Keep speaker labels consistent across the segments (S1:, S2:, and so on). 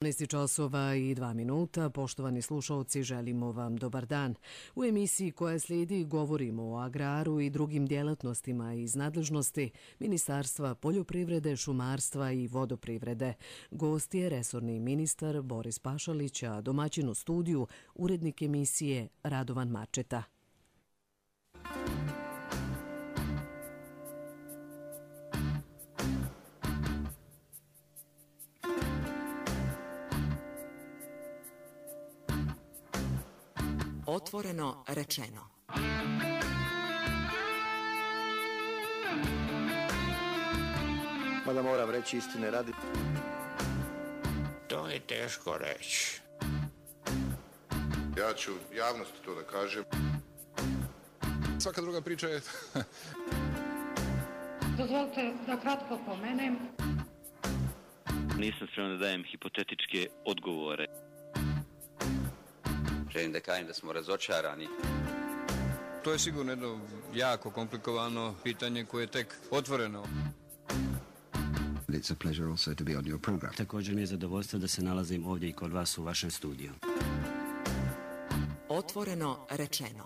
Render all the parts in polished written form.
S1: 12 časova i 2 minuta. Poštovani slušalci, želimo vam dobar dan. U emisiji koja slijedi govorimo o agraru i drugim djelatnostima iz nadležnosti Ministarstva poljoprivrede, šumarstva i vodoprivrede. Gost je resorni ministar Boris Pašalić, a domaćin u studiju urednik emisije Radovan Mačeta.
S2: Otvoreno rečeno.
S3: Mada moram reći istine radi.
S4: To je teško reći.
S5: Ja ću javnosti to da kažem.
S6: Svaka druga priča je...
S7: Dozvolite da kratko pomenem.
S8: Nisam spreman da dajem hipotetičke odgovore.
S9: Želim da kažem da smo razočarani.
S6: To je sigurno jedno jako komplikovano pitanje koje je tek otvoreno.
S10: It's a pleasure also to be on your program.
S11: Također mi je zadovoljstvo da se nalazim ovdje i kod vas u vašem studiju.
S2: Otvoreno rečeno.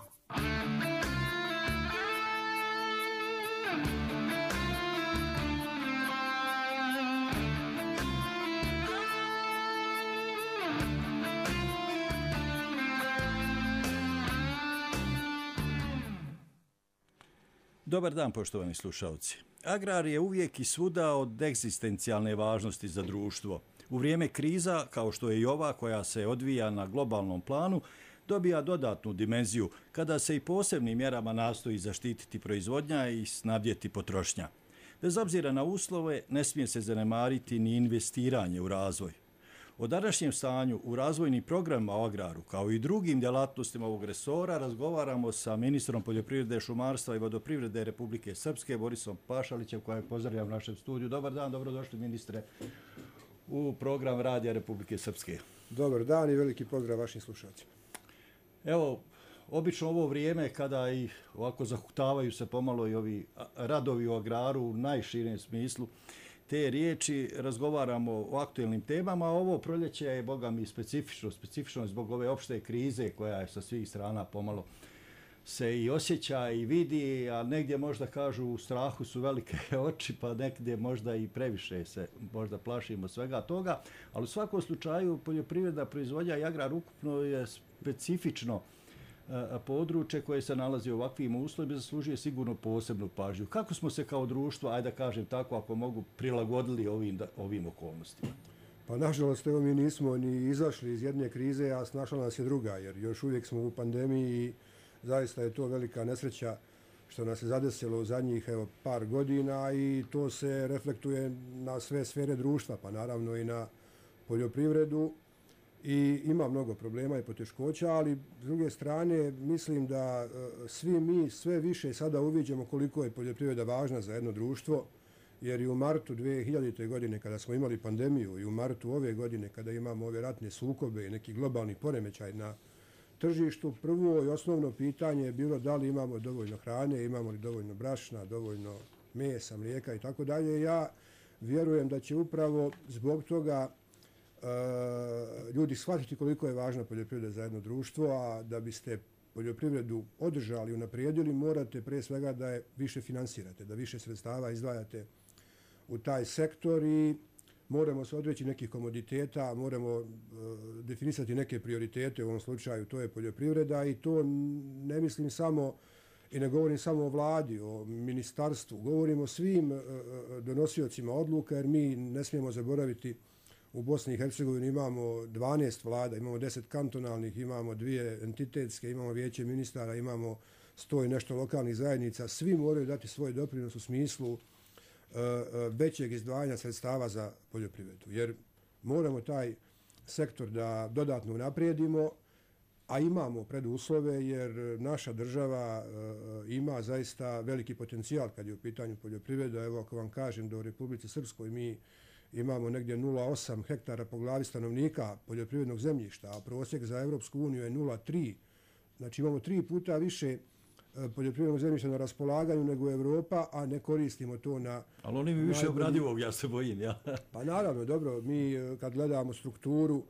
S12: Dobar dan, poštovani slušalci. Agrar je uvijek i svuda od egzistencijalne važnosti za društvo. U vrijeme kriza, kao što je i ova koja se odvija na globalnom planu, dobija dodatnu dimenziju kada se i posebnim mjerama nastoji zaštititi proizvodnja i snabdjeti potrošnja. Bez obzira na uslove, ne smije se zanemariti ni investiranje u razvoj. O današnjem stanju u razvojnim programima o agraru, kao i drugim djelatnostima ovog resora, razgovaramo sa ministrom poljoprivrede, šumarstva i vodoprivrede Republike Srpske, Borisom Pašalićem, kojeg pozdravljam u našem studiju. Dobar dan, dobrodošli ministre u program Radija Republike Srpske.
S13: Dobar dan i veliki pozdrav vašim slušalcima.
S12: Evo, obično ovo vrijeme kada i ovako zahuktavaju se pomalo i ovi radovi u agraru u najširem smislu te riječi, razgovaramo o aktuelnim temama, a ovo proljeće je, boga mi, specifično zbog ove opšte krize koja je sa svih strana pomalo se i osjeća i vidi, a negdje možda kažu u strahu su velike oči, pa negdje možda i previše se možda plašimo svega toga, ali u svakom slučaju poljoprivreda, proizvodnja i agrar ukupno je specifično područje koje se nalazi u ovakvim uslovima zaslužuje sigurno posebnu pažnju. Kako smo se kao društvo, ajde da kažem tako, ako mogu, prilagodili ovim okolnostima?
S13: Pa nažalost, evo mi nismo ni izašli iz jedne krize, a snašla nas je druga, jer još uvijek smo u pandemiji i zaista je to velika nesreća što nas je zadesilo u zadnjih par godina i to se reflektuje na sve sfere društva, pa naravno i na poljoprivredu. I ima mnogo problema i poteškoća, ali s druge strane mislim da svi mi sve više sada uviđamo koliko je poljoprivreda važna za jedno društvo, jer i u martu 2000. godine kada smo imali pandemiju i u martu ove godine kada imamo ove ratne sukobe i neki globalni poremećaj na tržištu, prvo i osnovno pitanje je bilo da li imamo dovoljno hrane, imamo li dovoljno brašna, dovoljno mesa, mlijeka i tako dalje. Ja vjerujem da će upravo zbog toga ljudi shvatiti koliko je važna poljoprivreda za jedno društvo, a da biste poljoprivredu održali i unaprijedili, morate pre svega da je više finansirate, da više sredstava izdvajate u taj sektor i moramo se odreći nekih komoditeta, moramo definisati neke prioritete, u ovom slučaju to je poljoprivreda i to ne mislim samo i ne govorim samo o vladi, o ministarstvu, govorim o svim donosiocima odluka jer mi ne smijemo zaboraviti u Bosni i Hercegovini imamo 12 vlada, imamo 10 kantonalnih, imamo 2 entitetske, imamo vijeće ministara, imamo 100 i nešto lokalnih zajednica. Svi moraju dati svoj doprinos u smislu većeg izdvajanja sredstava za poljoprivredu. Jer moramo taj sektor da dodatno unaprijedimo, a imamo preduslove jer naša država ima zaista veliki potencijal kad je u pitanju poljoprivreda. Evo ako vam kažem da u Republici Srpskoj mi imamo negdje 0,8 hektara po glavi stanovnika poljoprivrednog zemljišta, a prosjek za Evropsku uniju je 0,3. Znači imamo 3 puta više poljoprivrednog zemljišta na raspolaganju nego Europa, a ne koristimo to na...
S12: Ali oni mi više obradivog, ja se bojim, ja.
S13: Pa naravno, dobro, mi kad gledamo strukturu,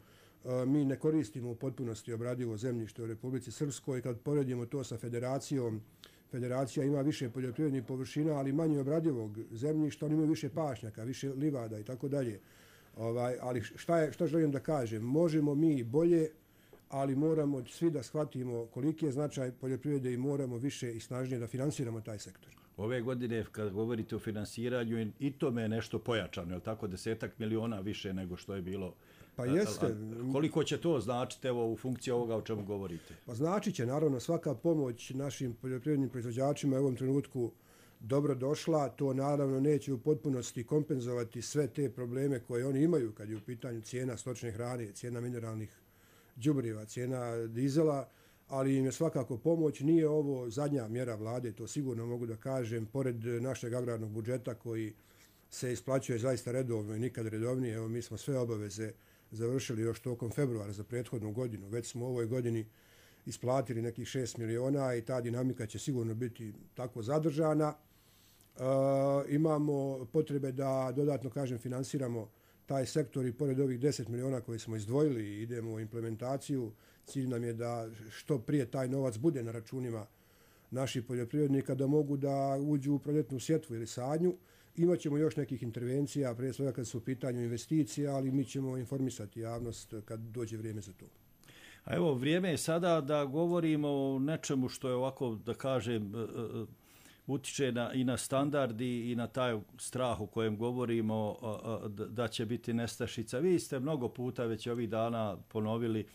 S13: mi ne koristimo u potpunosti obradivo zemljište u Republici Srpskoj. Kad poredimo to sa federacijom, federacija ima više poljoprivrednih površina, ali manje obradivog zemljišta, oni imaju više pašnjaka, više livada i tako dalje. Ali šta želim da kažem? Možemo mi bolje, ali moramo svi da shvatimo koliki je značaj poljoprivrede i moramo više i snažnije da finansiramo taj sektor.
S12: Ove godine, kad govorite o finansiranju, i to me je nešto pojačano, je li tako, 10 miliona više nego što je bilo?
S13: Pa jeste.
S12: Koliko će to značiti evo, u funkciji ovoga o čemu govorite?
S13: Pa značit će, naravno, svaka pomoć našim poljoprivrednim proizvođačima u ovom trenutku dobro došla. To naravno neće u potpunosti kompenzovati sve te probleme koje oni imaju kad je u pitanju cijena stočne hrane, cijena mineralnih đubriva, cijena dizela, ali im je svakako pomoć. Nije ovo zadnja mjera vlade, to sigurno mogu da kažem, pored našeg agrarnog budžeta koji se isplaćuje zaista redovno i nikad redovnije. Evo, mi smo sve obaveze završili još tokom februara za prethodnu godinu. Već smo u ovoj godini isplatili nekih 6 miliona i ta dinamika će sigurno biti tako zadržana. Imamo potrebe da dodatno, kažem, finansiramo taj sektor i pored ovih 10 miliona koje smo izdvojili i idemo u implementaciju. Cilj nam je da što prije taj novac bude na računima naših poljoprivrednika, da mogu da uđu u proljetnu sjetvu ili sadnju. Imaćemo još nekih intervencija, prije svega kad su u pitanju investicije, ali mi ćemo informisati javnost kad dođe vrijeme za to.
S12: A evo, vrijeme je sada da govorimo o nečemu što je ovako, da kažem, utiče i na standardi i na taj strah o kojem govorimo da će biti nestašica. Vi ste mnogo puta već ovih dana ponovili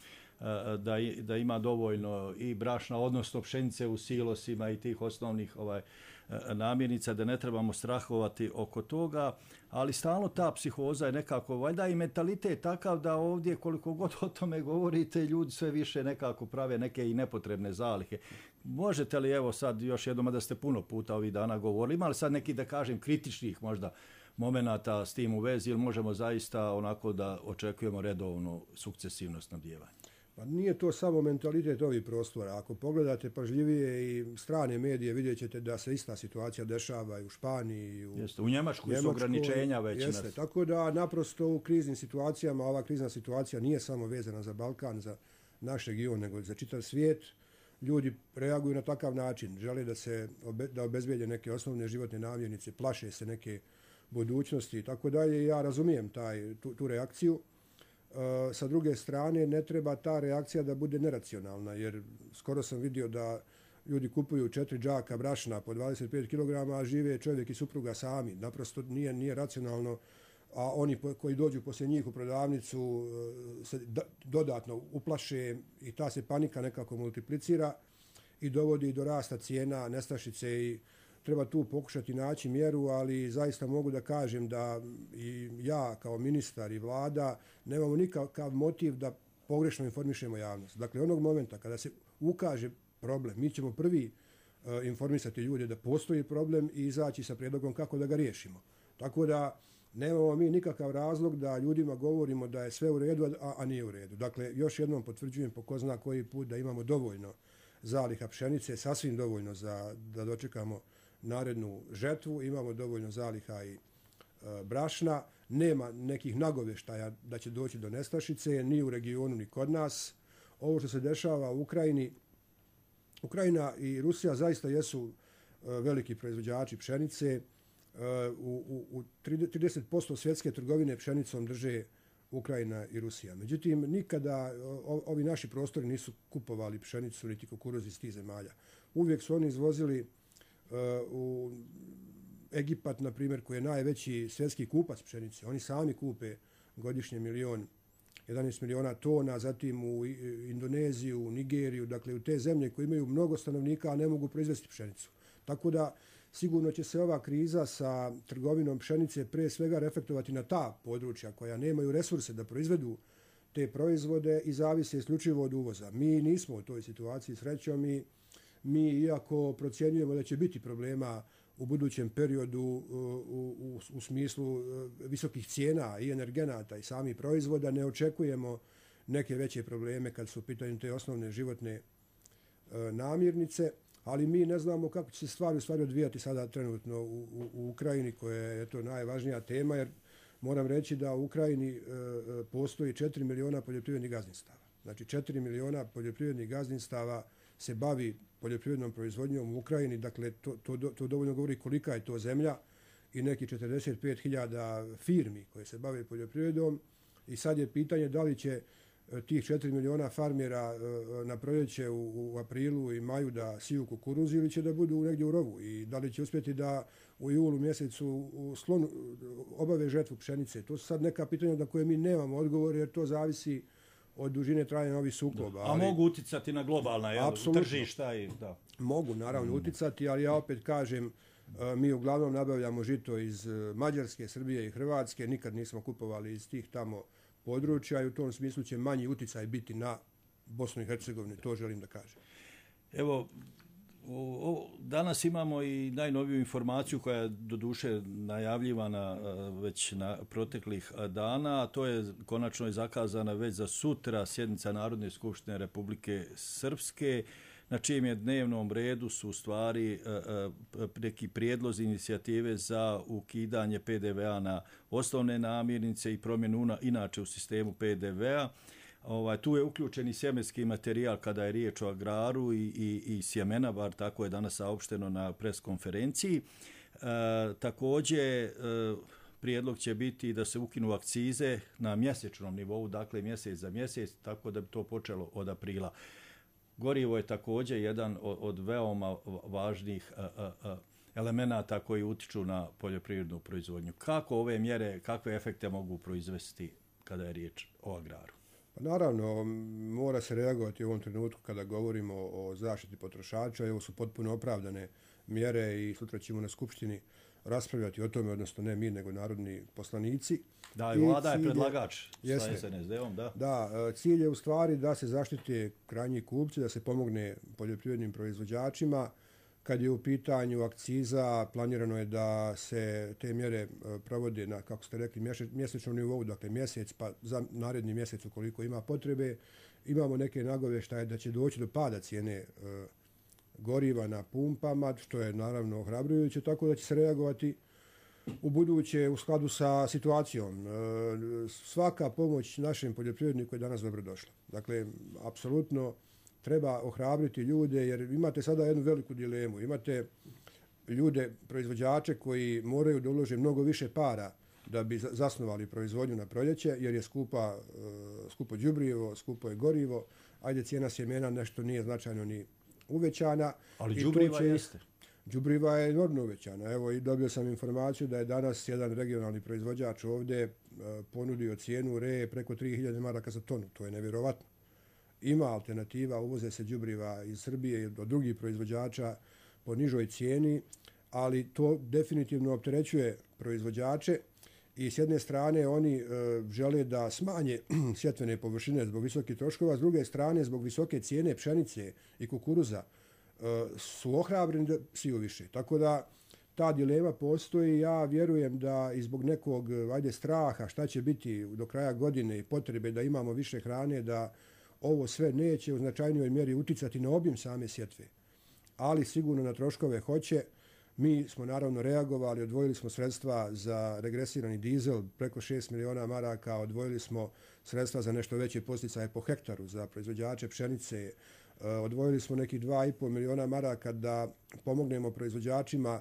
S12: da ima dovoljno i brašna, odnosno pšenice u silosima i tih osnovnih namirnica, da ne trebamo strahovati oko toga, ali stalno ta psihoza je nekako, valjda i mentalitet takav da ovdje koliko god o tome govorite, ljudi sve više nekako prave neke i nepotrebne zalihe. Možete li, evo sad još jednom, da ste puno puta ovih dana govorili, imali sad neki, da kažem, kritičnih možda momenata s tim u vezi, ili možemo zaista onako da očekujemo redovno sukcesivno snabdijevanje?
S13: Pa nije to samo mentalitet ovih prostora. Ako pogledate pažljivije i strane medije, vidjet ćete da se ista situacija dešava i u Španiji.
S12: U Njemačkoj su ograničenja već.
S13: Jeste, tako da naprosto u kriznim situacijama, ova krizna situacija nije samo vezana za Balkan, za naš region, nego za čitav svijet. Ljudi reaguju na takav način. Žele da obezbijede neke osnovne životne namirnice, plaše se neke budućnosti i tako dalje. Ja razumijem tu reakciju. Sa druge strane, ne treba ta reakcija da bude neracionalna, jer skoro sam vidio da ljudi kupuju 4 džaka brašna po 25 kg, a žive čovjek i supruga sami. Naprosto nije racionalno, a oni koji dođu poslije njih u prodavnicu se dodatno uplaše i ta se panika nekako multiplicira i dovodi do rasta cijena, nestašice i treba tu pokušati naći mjeru, ali zaista mogu da kažem da i ja kao ministar i vlada nemamo nikakav motiv da pogrešno informišemo javnost. Dakle, onog momenta kada se ukaže problem, mi ćemo prvi informisati ljude da postoji problem i izaći sa prijedlogom kako da ga riješimo. Tako da nemamo mi nikakav razlog da ljudima govorimo da je sve u redu, a nije u redu. Dakle, još jednom potvrđujem po ko zna koji put da imamo dovoljno zaliha pšenice, sasvim dovoljno da dočekamo narednu žetvu, imamo dovoljno zaliha i brašna, nema nekih nagovještaja da će doći do nestašice, ni u regionu, ni kod nas. Ovo što se dešava u Ukrajini, Ukrajina i Rusija zaista jesu veliki proizvođači pšenice. U 30% svjetske trgovine pšenicom drže Ukrajina i Rusija. Međutim, nikada ovi naši prostori nisu kupovali pšenicu niti kukuruz iz tih zemalja. Uvijek su oni izvozili u Egipat, na primjer, koji je najveći svjetski kupac pšenice. Oni sami kupe godišnje 11 miliona tona, zatim u Indoneziju, u Nigeriju, dakle u te zemlje koje imaju mnogo stanovnika, a ne mogu proizvesti pšenicu. Tako da sigurno će se ova kriza sa trgovinom pšenice pre svega reflektovati na ta područja koja nemaju resurse da proizvedu te proizvode i zavise isključivo od uvoza. Mi nismo u toj situaciji, srećom, mi iako procjenjujemo da će biti problema u budućem periodu u smislu visokih cijena i energenata i samih proizvoda, ne očekujemo neke veće probleme kad su u pitanju te osnovne životne namirnice. ali mi ne znamo kako će se stvari u stvari odvijati sada trenutno u Ukrajini, koja je to najvažnija tema, jer moram reći da u Ukrajini postoji 4 miliona poljoprivrednih gazdinstava. Znači 4 miliona poljoprivrednih gazdinstava se bavi poljoprivrednom proizvodnjom u Ukrajini, dakle to dovoljno govori kolika je to zemlja i neki 45.000 firmi koje se bave poljoprivredom i sad je pitanje da li će tih 4 miliona farmera na proljeće u aprilu i maju da siju kukuruz ili će da budu negdje u rovu i da li će uspjeti da u julu mjesecu u sklonu obave žetvu pšenice. To su sad neka pitanja na koje mi nemamo odgovor jer to zavisi od dužine trajanja ovih sukoba.
S12: A mogu uticati na globalna tržišta? Da.
S13: Mogu naravno uticati, ali ja opet kažem, mi uglavnom nabavljamo žito iz Mađarske, Srbije i Hrvatske, nikad nismo kupovali iz tih tamo područja i u tom smislu će manji uticaj biti na Bosnu i Hercegovinu, to želim da kažem.
S12: Evo, danas imamo i najnoviju informaciju koja je doduše najavljivana već na proteklih dana, a to je konačno je zakazana već za sutra sjednica Narodne skupštine Republike Srpske, na čijem je dnevnom redu su u stvari neki prijedlozi inicijative za ukidanje PDV-a na osnovne namirnice i promjenu inače u sistemu PDV-a. Tu je uključen i sjemenski materijal kada je riječ o agraru i sjemena, bar tako je danas saopšteno na preskonferenciji. Također, prijedlog će biti da se ukinu akcize na mjesečnom nivou, dakle mjesec za mjesec, tako da bi to počelo od aprila. Gorivo je također jedan od veoma važnih elemenata koji utiču na poljoprivrednu proizvodnju. Kako ove mjere, kakve efekte mogu proizvesti kada je riječ o agraru?
S13: Pa naravno, mora se reagovati u ovom trenutku kada govorimo o zaštiti potrošača. Ovo su potpuno opravdane mjere i sutra ćemo na Skupštini raspravljati o tome, odnosno ne mi, nego narodni poslanici.
S12: Da, i vlada je predlagač sa SNSD-om, da.
S13: Da, cilj je u stvari da se zaštite krajnji kupci, da se pomogne poljoprivrednim proizvođačima. Kad je u pitanju akciza, planirano je da se te mjere provode na, kako ste rekli, mjesečnom nivou, dakle mjesec, pa za naredni mjesec ukoliko ima potrebe. Imamo neke nagovještaje da će doći do pada cijene goriva na pumpama, što je naravno ohrabrujuće, tako da će se reagovati u buduće u skladu sa situacijom. Svaka pomoć našem poljoprivredniku je danas dobrodošla. Dakle, apsolutno treba ohrabriti ljude jer imate sada jednu veliku dilemu. Imate ljude, proizvođače koji moraju da ulože mnogo više para da bi zasnovali proizvodnju na proljeće jer je skupo đubrivo, skupo je gorivo, ajde cijena sjemena nešto nije značajno ni uvećana.
S12: Ali đubriva jeste.
S13: Đubriva je enormno uvećana. Evo i dobio sam informaciju da je danas jedan regionalni proizvođač ovdje ponudio cijenu reje preko 3000 maraka za tonu. To je nevjerovatno. Ima alternativa, uvoze se đubriva iz Srbije i od drugih proizvođača po nižoj cijeni, ali to definitivno opterećuje proizvođače i s jedne strane oni žele da smanje sjetvene površine zbog visokih troškova, s druge strane zbog visoke cijene pšenice i kukuruza su ohrabreni da siju više. Tako da ta dilema postoji. Ja vjerujem da i zbog nekog straha šta će biti do kraja godine i potrebe da imamo više hrane, da ovo sve neće u značajnijoj mjeri uticati na obim same sjetve, ali sigurno na troškove hoće. Mi smo naravno reagovali, odvojili smo sredstva za regresirani dizel, preko 6 miliona maraka, odvojili smo sredstva za nešto veće posticaje po hektaru za proizvođače pšenice, odvojili smo nekih 2,5 miliona maraka da pomognemo proizvođačima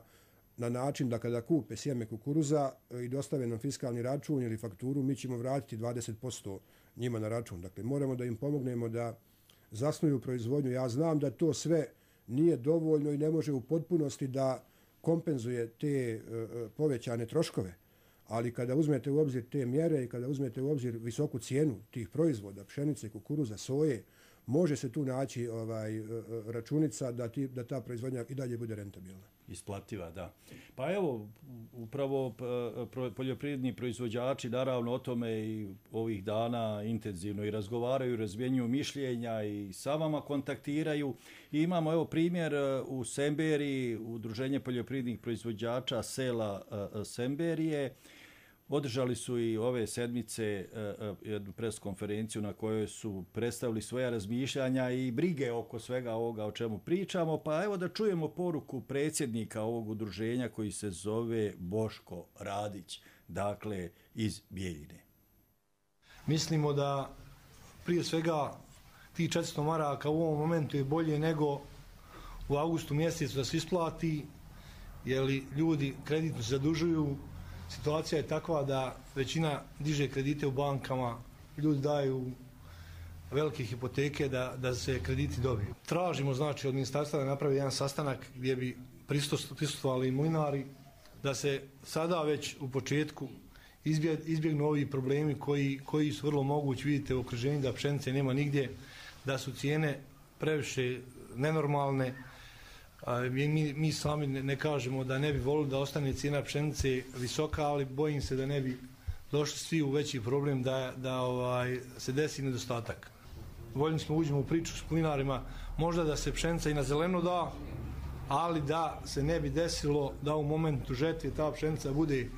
S13: na način da kada kupe sjeme kukuruza i dostave nam fiskalni račun ili fakturu, mi ćemo vratiti 20% njima na račun. Dakle, moramo da im pomognemo da zasnuju proizvodnju. Ja znam da to sve nije dovoljno i ne može u potpunosti da kompenzuje te povećane troškove, ali kada uzmete u obzir te mjere i kada uzmete u obzir visoku cijenu tih proizvoda, pšenice, kukuruza, soje, može se tu naći računica da ta proizvodnja i dalje bude rentabilna.
S12: Isplativa, da. Pa evo, upravo poljoprivredni proizvođači naravno o tome i ovih dana intenzivno i razgovaraju, razmjenjuju mišljenja i sa vama kontaktiraju. I imamo evo primjer u Semberiji, Udruženje poljoprivrednih proizvođača sela Semberije. Održali su i ove sedmice jednu preskonferenciju na kojoj su predstavili svoja razmišljanja i brige oko svega ovoga o čemu pričamo. Pa evo da čujemo poruku predsjednika ovog udruženja koji se zove Boško Radić, dakle iz Bijeljine.
S3: Mislimo da prije svega ti 400 maraka u ovom momentu je bolje nego u avgustu mjesecu da se isplati, jer ljudi kreditno se zadužuju. Situacija je takva da većina diže kredite u bankama, ljudi daju velike hipoteke da se krediti dobiju. Tražimo znači od ministarstva da napravi jedan sastanak gdje bi prisustvovali i mlinari, da se sada već u početku izbjegnu ovi problemi koji su vrlo mogući. Vidite u okruženju da pšenice nema nigdje, da su cijene previše nenormalne. Mi sami ne kažemo da ne bi volili da ostane cijena pšenice visoka, ali bojim se da ne bi došli svi u veći problem da se desi nedostatak. Voljni smo uđemo u priču s plinarima, možda da se pšenica i na zeleno da, ali da se ne bi desilo da u momentu žetve ta pšenica bude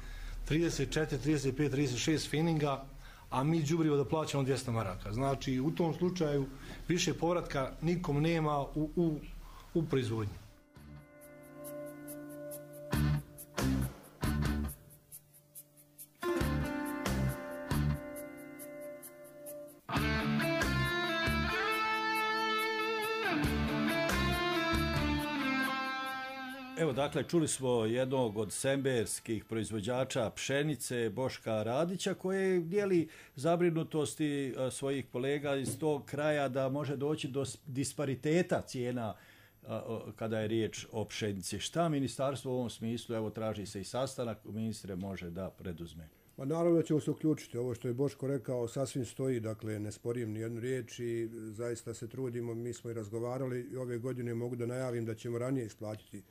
S3: 34, 35, 36 feninga, a mi đubrivo da plaćamo 200 maraka. Znači u tom slučaju više povratka nikom nema u proizvodnji.
S12: Evo, dakle, čuli smo jednog od semberskih proizvođača pšenice, Boška Radića, koji dijeli zabrinutosti svojih kolega iz tog kraja da može doći do dispariteta cijena kada je riječ o pšenici. Šta ministarstvo u ovom smislu, evo traži se i sastanak, ministre može da preduzme?
S13: Pa naravno da ćemo se uključiti. Ovo što je Boško rekao sasvim stoji, dakle ne sporim ni jednu riječ i zaista se trudimo. Mi smo i razgovarali i ove godine mogu da najavim da ćemo ranije isplatiti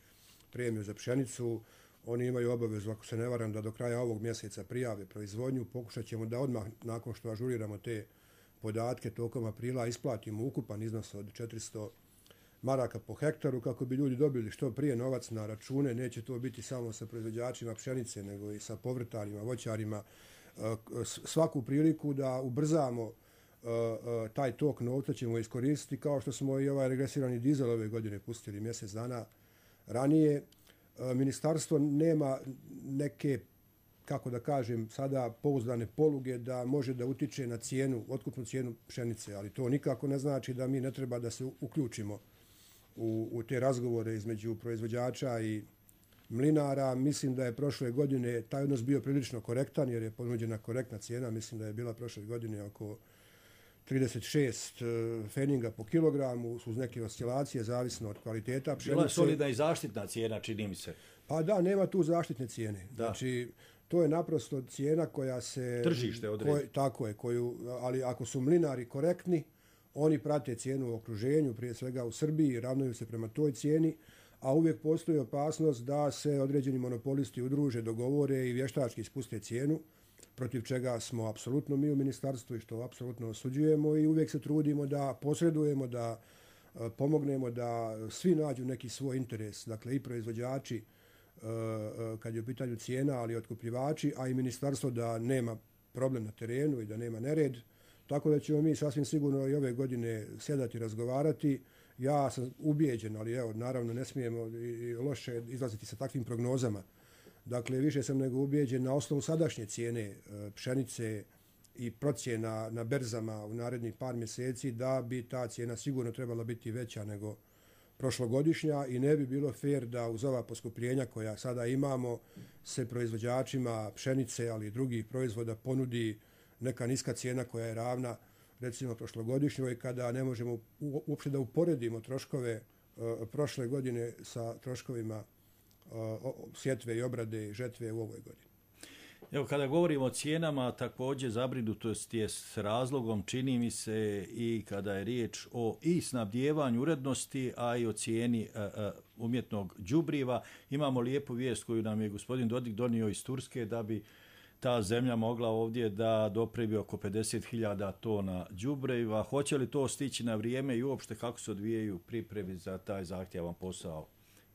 S13: premiju za pšenicu. Oni imaju obavezu, ako se ne varam, da do kraja ovog mjeseca prijave proizvodnju. Pokušat ćemo da odmah, nakon što ažuriramo te podatke, tokom aprila isplatimo ukupan iznos od 400 maraka po hektaru, kako bi ljudi dobili što prije novac na račune. Neće to biti samo sa proizvođačima pšenice, nego i sa povrtarima, voćarima. Svaku priliku da ubrzamo taj tok novca ćemo iskoristiti, kao što smo i ovaj regresirani dizel ove godine pustili mjesec dana ranije. Ministarstvo nema neke, kako da kažem, sada pouzdane poluge da može da utiče na cijenu, otkupnu cijenu pšenice, ali to nikako ne znači da mi ne treba da se uključimo u te razgovore između proizvođača i mlinara. Mislim da je prošle godine taj odnos bio prilično korektan, jer je ponuđena korektna cijena. Mislim da je bila prošle godine oko 36 feninga po kilogramu, uz neke oscilacije, zavisno od kvaliteta pšenice.
S12: Bila je solidna i zaštitna cijena, čini mi se.
S13: Pa da, nema tu zaštitne cijene. Da. Znači, to je naprosto cijena koja se...
S12: Tržište odredi.
S13: Tako je, ali ako su mlinari korektni, oni prate cijenu u okruženju, prije svega u Srbiji, ravnaju se prema toj cijeni, a uvijek postoji opasnost da se određeni monopolisti udruže, dogovore i vještački ispuste cijenu, protiv čega smo apsolutno mi u ministarstvu i što apsolutno osuđujemo, i uvijek se trudimo da posredujemo, da pomognemo da svi nađu neki svoj interes, dakle i proizvođači kad je u pitanju cijena, ali i otkupljivači, a i ministarstvo da nema problem na terenu i da nema nered. Tako da ćemo mi sasvim sigurno i ove godine sjedati i razgovarati. Ja sam ubijeđen, ali evo, naravno ne smijemo i loše izlaziti sa takvim prognozama. Dakle, više sam nego ubijeđen na osnovu sadašnje cijene pšenice i procjena na berzama u narednih par mjeseci da bi ta cijena sigurno trebala biti veća nego prošlogodišnja i ne bi bilo fair da uz ova poskupljenja koja sada imamo se proizvođačima pšenice, ali i drugih proizvoda ponudi neka niska cijena koja je ravna recimo prošlogodišnjoj, kada ne možemo uopšte da uporedimo troškove prošle godine sa troškovima sjetve i obrade i žetve u ovoj godini.
S12: Evo, kada govorimo o cijenama, također zabrinutost je s razlogom, čini mi se, i kada je riječ o i snabdijevanju urednosti, a i o cijeni umjetnog đubriva. Imamo lijepu vijest koju nam je gospodin Dodik donio iz Turske, da bi ta zemlja mogla ovdje da dopremi oko 50.000 tona đubriva. Hoće li to stići na vrijeme i uopšte kako se odvijaju pripremi za taj zahtjevan posao?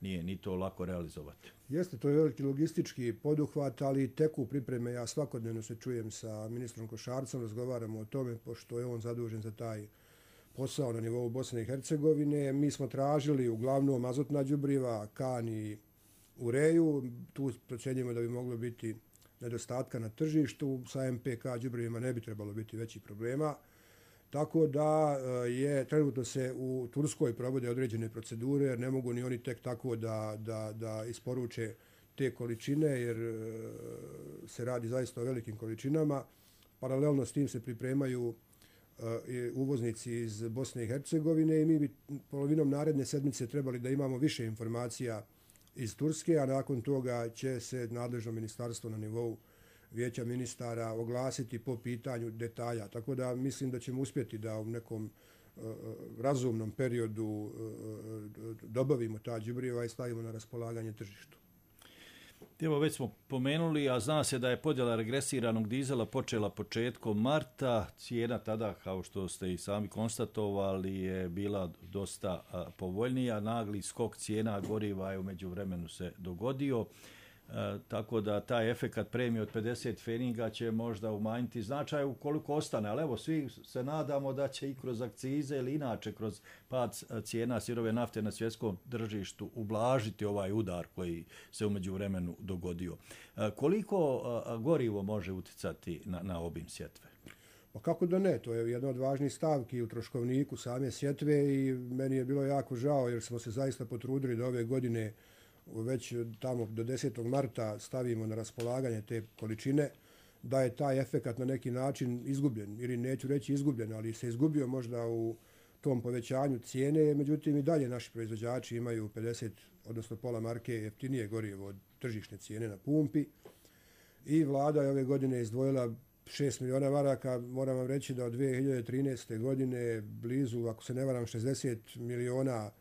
S12: nije ni to lako realizovati.
S13: Jeste, to je veliki logistički poduhvat, ali teku pripreme. Ja svakodnevno se čujem sa ministrom Košarcom, razgovaramo o tome, pošto je on zadužen za taj posao na nivou Bosne i Hercegovine. Mi smo tražili uglavnom azotna đubriva, kan i ureju. Tu procjenjujemo da bi moglo biti nedostatka na tržištu. Sa MPK đubrivima ne bi trebalo biti većih problema. Tako da trenutno se u Turskoj provode određene procedure, jer ne mogu ni oni tek tako da isporuče te količine, jer se radi zaista o velikim količinama. Paralelno s tim se pripremaju uvoznici iz Bosne i Hercegovine i mi bi polovinom naredne sedmice trebali da imamo više informacija iz Turske, a nakon toga će se nadležno ministarstvo na nivou Vijeća ministara oglasiti po pitanju detalja. Tako da mislim da ćemo uspjeti da u nekom razumnom periodu dobavimo ta đubriva i stavimo na raspolaganje tržištu.
S12: Evo, već smo pomenuli, a zna se da je podjela regresiranog dizela počela početkom marta. Cijena tada, kao što ste i sami konstatovali, je bila dosta povoljnija. Nagli skok cijena goriva je u međuvremenu se dogodio. Tako da taj efekat premije od 50 pfeninga će možda umanjiti značaj ukoliko ostane, ali evo svi se nadamo da će i kroz akcize ili inače kroz pad cijena sirove nafte na svjetskom tržištu ublažiti ovaj udar koji se u međuvremenu dogodio. Koliko gorivo može utjecati na obim sjetve?
S13: Pa kako da ne, to je jedna od važnih stavki u troškovniku same sjetve i meni je bilo jako žao jer smo se zaista potrudili da ove godine već tamo do 10. marta stavimo na raspolaganje te količine, da je taj efekat na neki način izgubljen, ili neću reći izgubljen, ali se izgubio možda u tom povećanju cijene, međutim i dalje naši proizvođači imaju 50, odnosno pola marke jeftinije gorivo od tržišne cijene na pumpi i vlada je ove godine izdvojila 6 miliona maraka, moram vam reći da od 2013. godine blizu, ako se ne varam, 60 miliona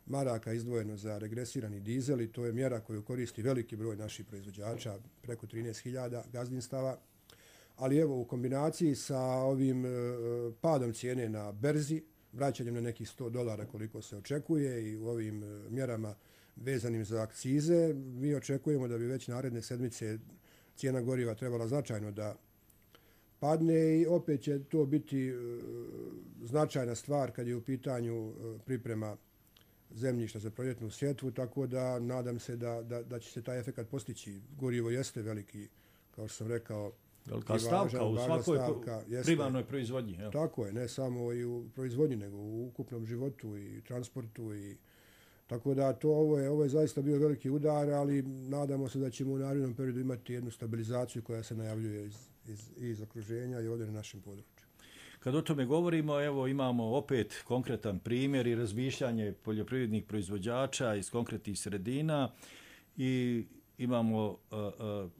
S13: maraka izdvojeno za regresirani dizel i to je mjera koju koristi veliki broj naših proizvođača, preko 13.000 gazdinstava. Ali evo, u kombinaciji sa ovim padom cijene na berzi, vraćanjem na nekih $100 koliko se očekuje i u ovim mjerama vezanim za akcize, mi očekujemo da bi već naredne sedmice cijena goriva trebala značajno da padne i opet će to biti značajna stvar kad je u pitanju priprema zemljišta za proljetnu sjetvu, tako da nadam se da će se taj efekat postići. Gorivo jeste veliki, kao što sam rekao,
S12: velika stavka u svakoj primarnoj proizvodnji. Evo.
S13: Tako je, ne samo i u proizvodnji, nego u ukupnom životu i transportu. Tako da ovo je zaista bio veliki udar, ali nadamo se da ćemo u narednom periodu imati jednu stabilizaciju koja se najavljuje iz okruženja i ovdje na našem području.
S12: Kad o tome govorimo, evo imamo opet konkretan primjer i razmišljanje poljoprivrednih proizvođača iz konkretnih sredina i imamo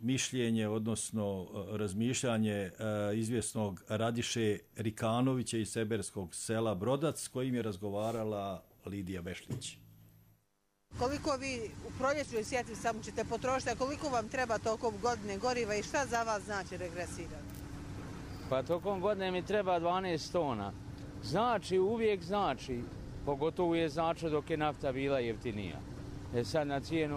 S12: mišljenje, odnosno razmišljanje izvjesnog Radiše Rikanovića iz seberskog sela Brodac s kojim je razgovarala Lidija Bešlić.
S14: Koliko vi u proljećnoj sjetvi samo ćete potrošiti, a koliko vam treba tokom godine goriva i šta za vas znači regresirati?
S15: Pa tokom godine mi treba 12 tona. Znači, uvijek znači, pogotovo je znači dok je nafta bila jeftinija. Sad na cijenu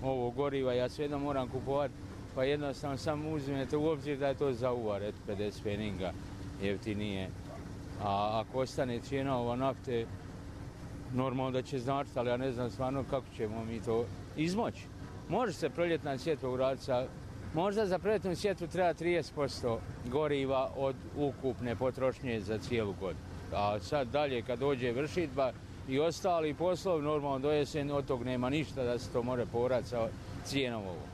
S15: ovog goriva ja svejedno moram kupovati, pa jednostavno samo uzmete u obzir da je to za uvar, 50 pfeninga jeftinije. A ako ostane cijena ova nafte, normalno da će značiti, ali ja ne znam stvarno kako ćemo mi to izmoći. Može se proljetna sjetva uraditi sa... Možda za proljetnu sjetvu treba 30% goriva od ukupne potrošnje za cijelu godinu. A sad dalje kad dođe vršitba i ostali poslovi, normalno do jesen od tog nema ništa da se to može povrati sa cijenom ovog.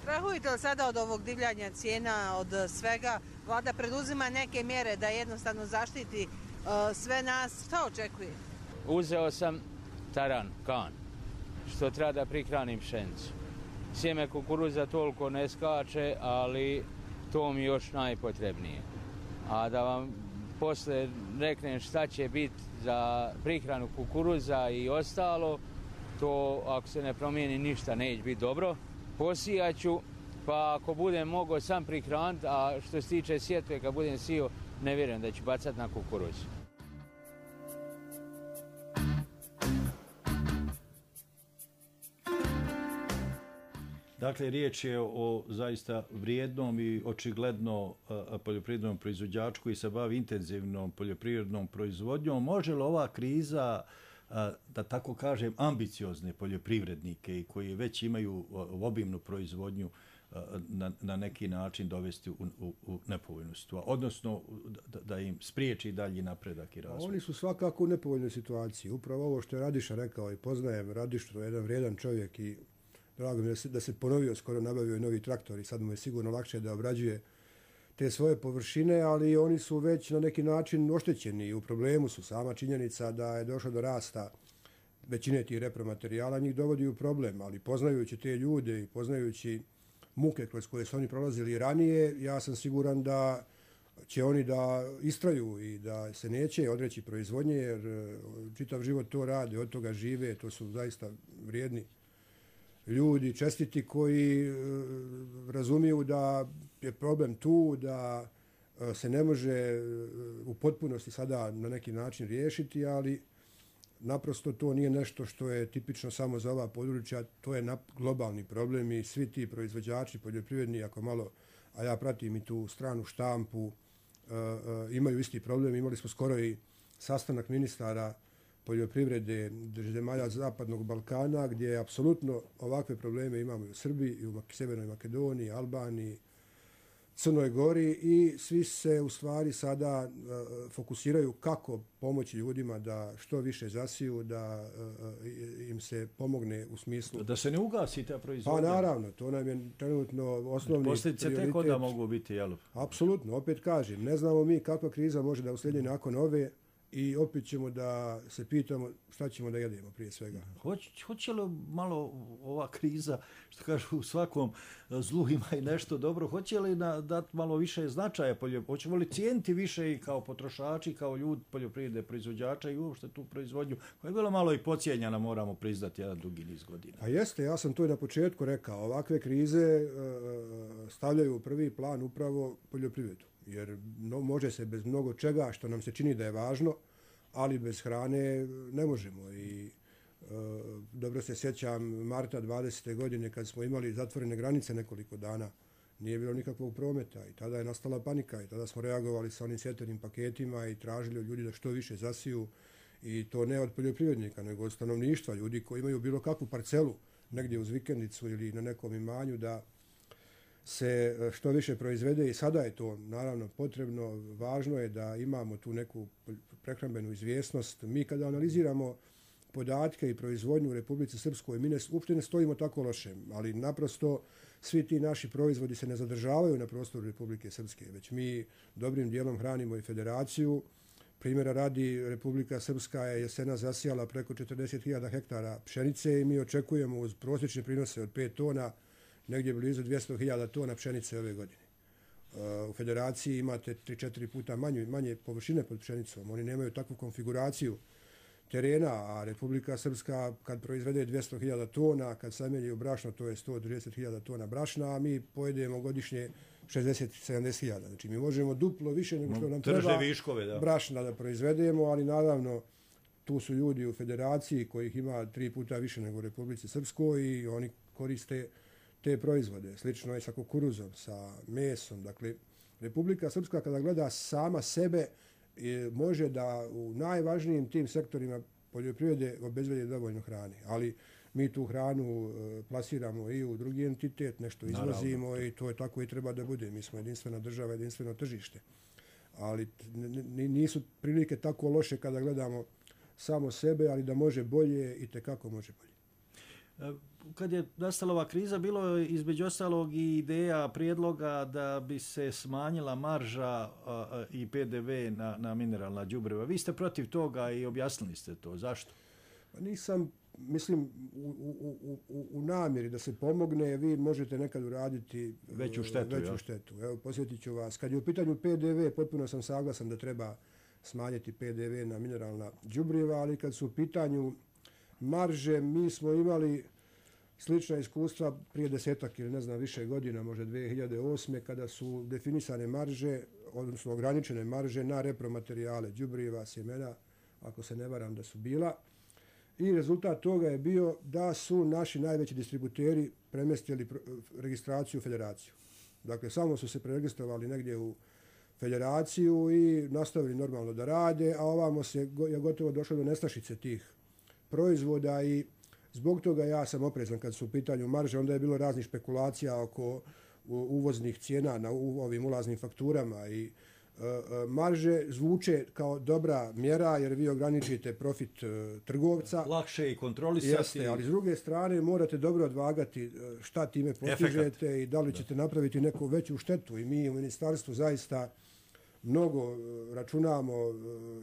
S14: Strahujete li sada od ovog divljanja cijena, od svega? Vlada preduzima neke mjere da jednostavno zaštiti sve nas. Šta očekuje?
S15: Uzeo sam taran, kan, što treba da prikranim pšenicu. Sjeme kukuruza toliko ne skače, ali to mi još najpotrebnije. A da vam posle reknem šta će biti za prihranu kukuruza i ostalo, to ako se ne promijeni ništa neće biti dobro. Posijat ću, pa ako budem mogao sam prihraniti, a što se tiče sjetve, kad budem sio, ne vjerujem da ću bacati na kukuruzu.
S12: Dakle, riječ je o zaista vrijednom i očigledno poljoprivrednom proizvođaču koji se bavi intenzivnom poljoprivrednom proizvodnjom. Može li ova kriza, da tako kažem, ambiciozne poljoprivrednike i koji već imaju obimnu proizvodnju na neki način dovesti u nepovoljnu situaciju, odnosno da im spriječi dalji napredak i razvoj?
S13: Oni su svakako u nepovoljnoj situaciji. Upravo ovo što je Radiša rekao i poznajem Radišu, to je jedan vrijedan čovjek i drago mi je da se ponovio, skoro nabavio i novi traktor i sad mu je sigurno lakše da obrađuje te svoje površine, ali oni su već na neki način oštećeni i u problemu su. Sama činjenica da je došlo do rasta većine tih repromaterijala njih dovodi u problem, ali poznajući te ljude i poznajući muke kroz koje su oni prolazili ranije, ja sam siguran da će oni da istraju i da se neće odreći proizvodnje, jer čitav život to rade, od toga žive, to su zaista vrijedni ljudi, čestiti, koji razumiju da je problem tu, da se ne može u potpunosti sada na neki način riješiti, ali naprosto to nije nešto što je tipično samo za ova područja, to je globalni problem i svi ti proizvođači poljoprivredni, ako malo, a ja pratim i tu stranu štampu, imaju isti problem. Imali smo skoro i sastanak ministara poljoprivrede zemalja Zapadnog Balkana, gdje apsolutno ovakve probleme imamo i u Srbiji, i u Severnoj Makedoniji, Albaniji, Crnoj Gori, i svi se u stvari sada fokusiraju kako pomoći ljudima da što više zasiju, da im se pomogne u smislu...
S12: Da se ne ugasi ta proizvodnja.
S13: Pa naravno, to nam je trenutno osnovni
S12: posljedice
S13: prioritet.
S12: tek onda mogu biti, jel?
S13: Apsolutno, opet kažem, ne znamo mi kakva kriza može da uslijedi nakon ove, i opet ćemo da se pitamo šta ćemo da jedemo prije svega.
S12: Hoće li malo ova kriza, što kažu u svakom zlu ima i nešto dobro, hoće li dati malo više značaja poljoprivredi? Hoćemo li cijeniti više i kao potrošači, kao ljudi poljoprivrede proizvođača i uopšte tu proizvodnju koja je bila malo i podcijenjena, moramo priznati, jedan dugi niz godina?
S13: A jeste, ja sam to i na početku rekao. Ovakve krize stavljaju u prvi plan upravo poljoprivredu. Jer može se bez mnogo čega što nam se čini da je važno, ali bez hrane ne možemo. I dobro se sjećam marta 20. godine kad smo imali zatvorene granice nekoliko dana, nije bilo nikakvog prometa i tada je nastala panika i tada smo reagovali sa onim svjetovnim paketima i tražili od ljudi da što više zasiju, i to ne od poljoprivrednika nego od stanovništva, ljudi koji imaju bilo kakvu parcelu negdje uz vikendicu ili na nekom imanju, da se što više proizvede. I sada je to naravno potrebno, važno je da imamo tu neku prehrambenu izvjesnost. Mi kada analiziramo podatke i proizvodnju u Republici Srpskoj, mi uopšte ne stojimo tako loše, ali naprosto svi ti naši proizvodi se ne zadržavaju na prostoru Republike Srpske, već mi dobrim dijelom hranimo i federaciju. Primjera radi, Republika Srpska je jesena zasijala preko 40.000 hektara pšenice i mi očekujemo uz prosječne prinose od 5 tona negdje blizu 200.000 tona pšenice ove godine. U federaciji imate 3-4 puta manje površine pod pšenicom. Oni nemaju takvu konfiguraciju terena, a Republika Srpska kad proizvede 200.000 tona, kad samelji u brašno, to je 130.000 tona brašna, a mi pojedemo godišnje 60-70.000. Znači mi možemo duplo više nego što nam treba brašna da proizvedemo, ali naravno tu su ljudi u federaciji kojih ima 3 puta više nego u Republici Srpskoj i oni koriste te proizvode. Slično je sa kukuruzom, sa mesom. Dakle, Republika Srpska kada gleda sama sebe može da u najvažnijim tim sektorima poljoprivrede obezbedi dovoljno hrane. Ali mi tu hranu plasiramo i u drugi entitet, nešto izvozimo. Naravno. I to je tako i treba da bude. Mi smo jedinstvena država, jedinstveno tržište. Ali nisu prilike tako loše kada gledamo samo sebe, ali da može bolje i tekako može bolje.
S12: Kad je nastala ova kriza, bilo je između ostalog i ideja, prijedloga da bi se smanjila marža i PDV na mineralna đubriva. Vi ste protiv toga i objasnili ste to. Zašto?
S13: Nisam, mislim, u namjeri da se pomogne, vi možete nekad uraditi
S12: veću štetu.
S13: Evo, posjetit ću vas. Kad je u pitanju PDV, potpuno sam saglasan da treba smanjiti PDV na mineralna đubriva, ali kad su u pitanju marže, mi smo imali slična iskustva prije 10 ili ne znam više godina, možda 2008. kada su definisane marže, odnosno ograničene marže na repromaterijale, đubriva, sjemena, ako se ne varam da su bila. i rezultat toga je bio da su naši najveći distributeri premestili registraciju u federaciju. Dakle, samo su se preregistrovali negdje u federaciju i nastavili normalno da rade, a ovamo je gotovo došlo do nestašice tih proizvoda i zbog toga ja sam oprezan kad su u pitanju marže. Onda je bilo raznih špekulacija oko uvoznih cijena na ovim ulaznim fakturama i marže zvuče kao dobra mjera jer vi ograničite profit trgovca.
S12: Lakše i kontrolisati.
S13: Jeste, ali s druge strane morate dobro odvagati šta time postižete i da li ćete napraviti neku veću štetu. I mi u ministarstvu zaista mnogo računamo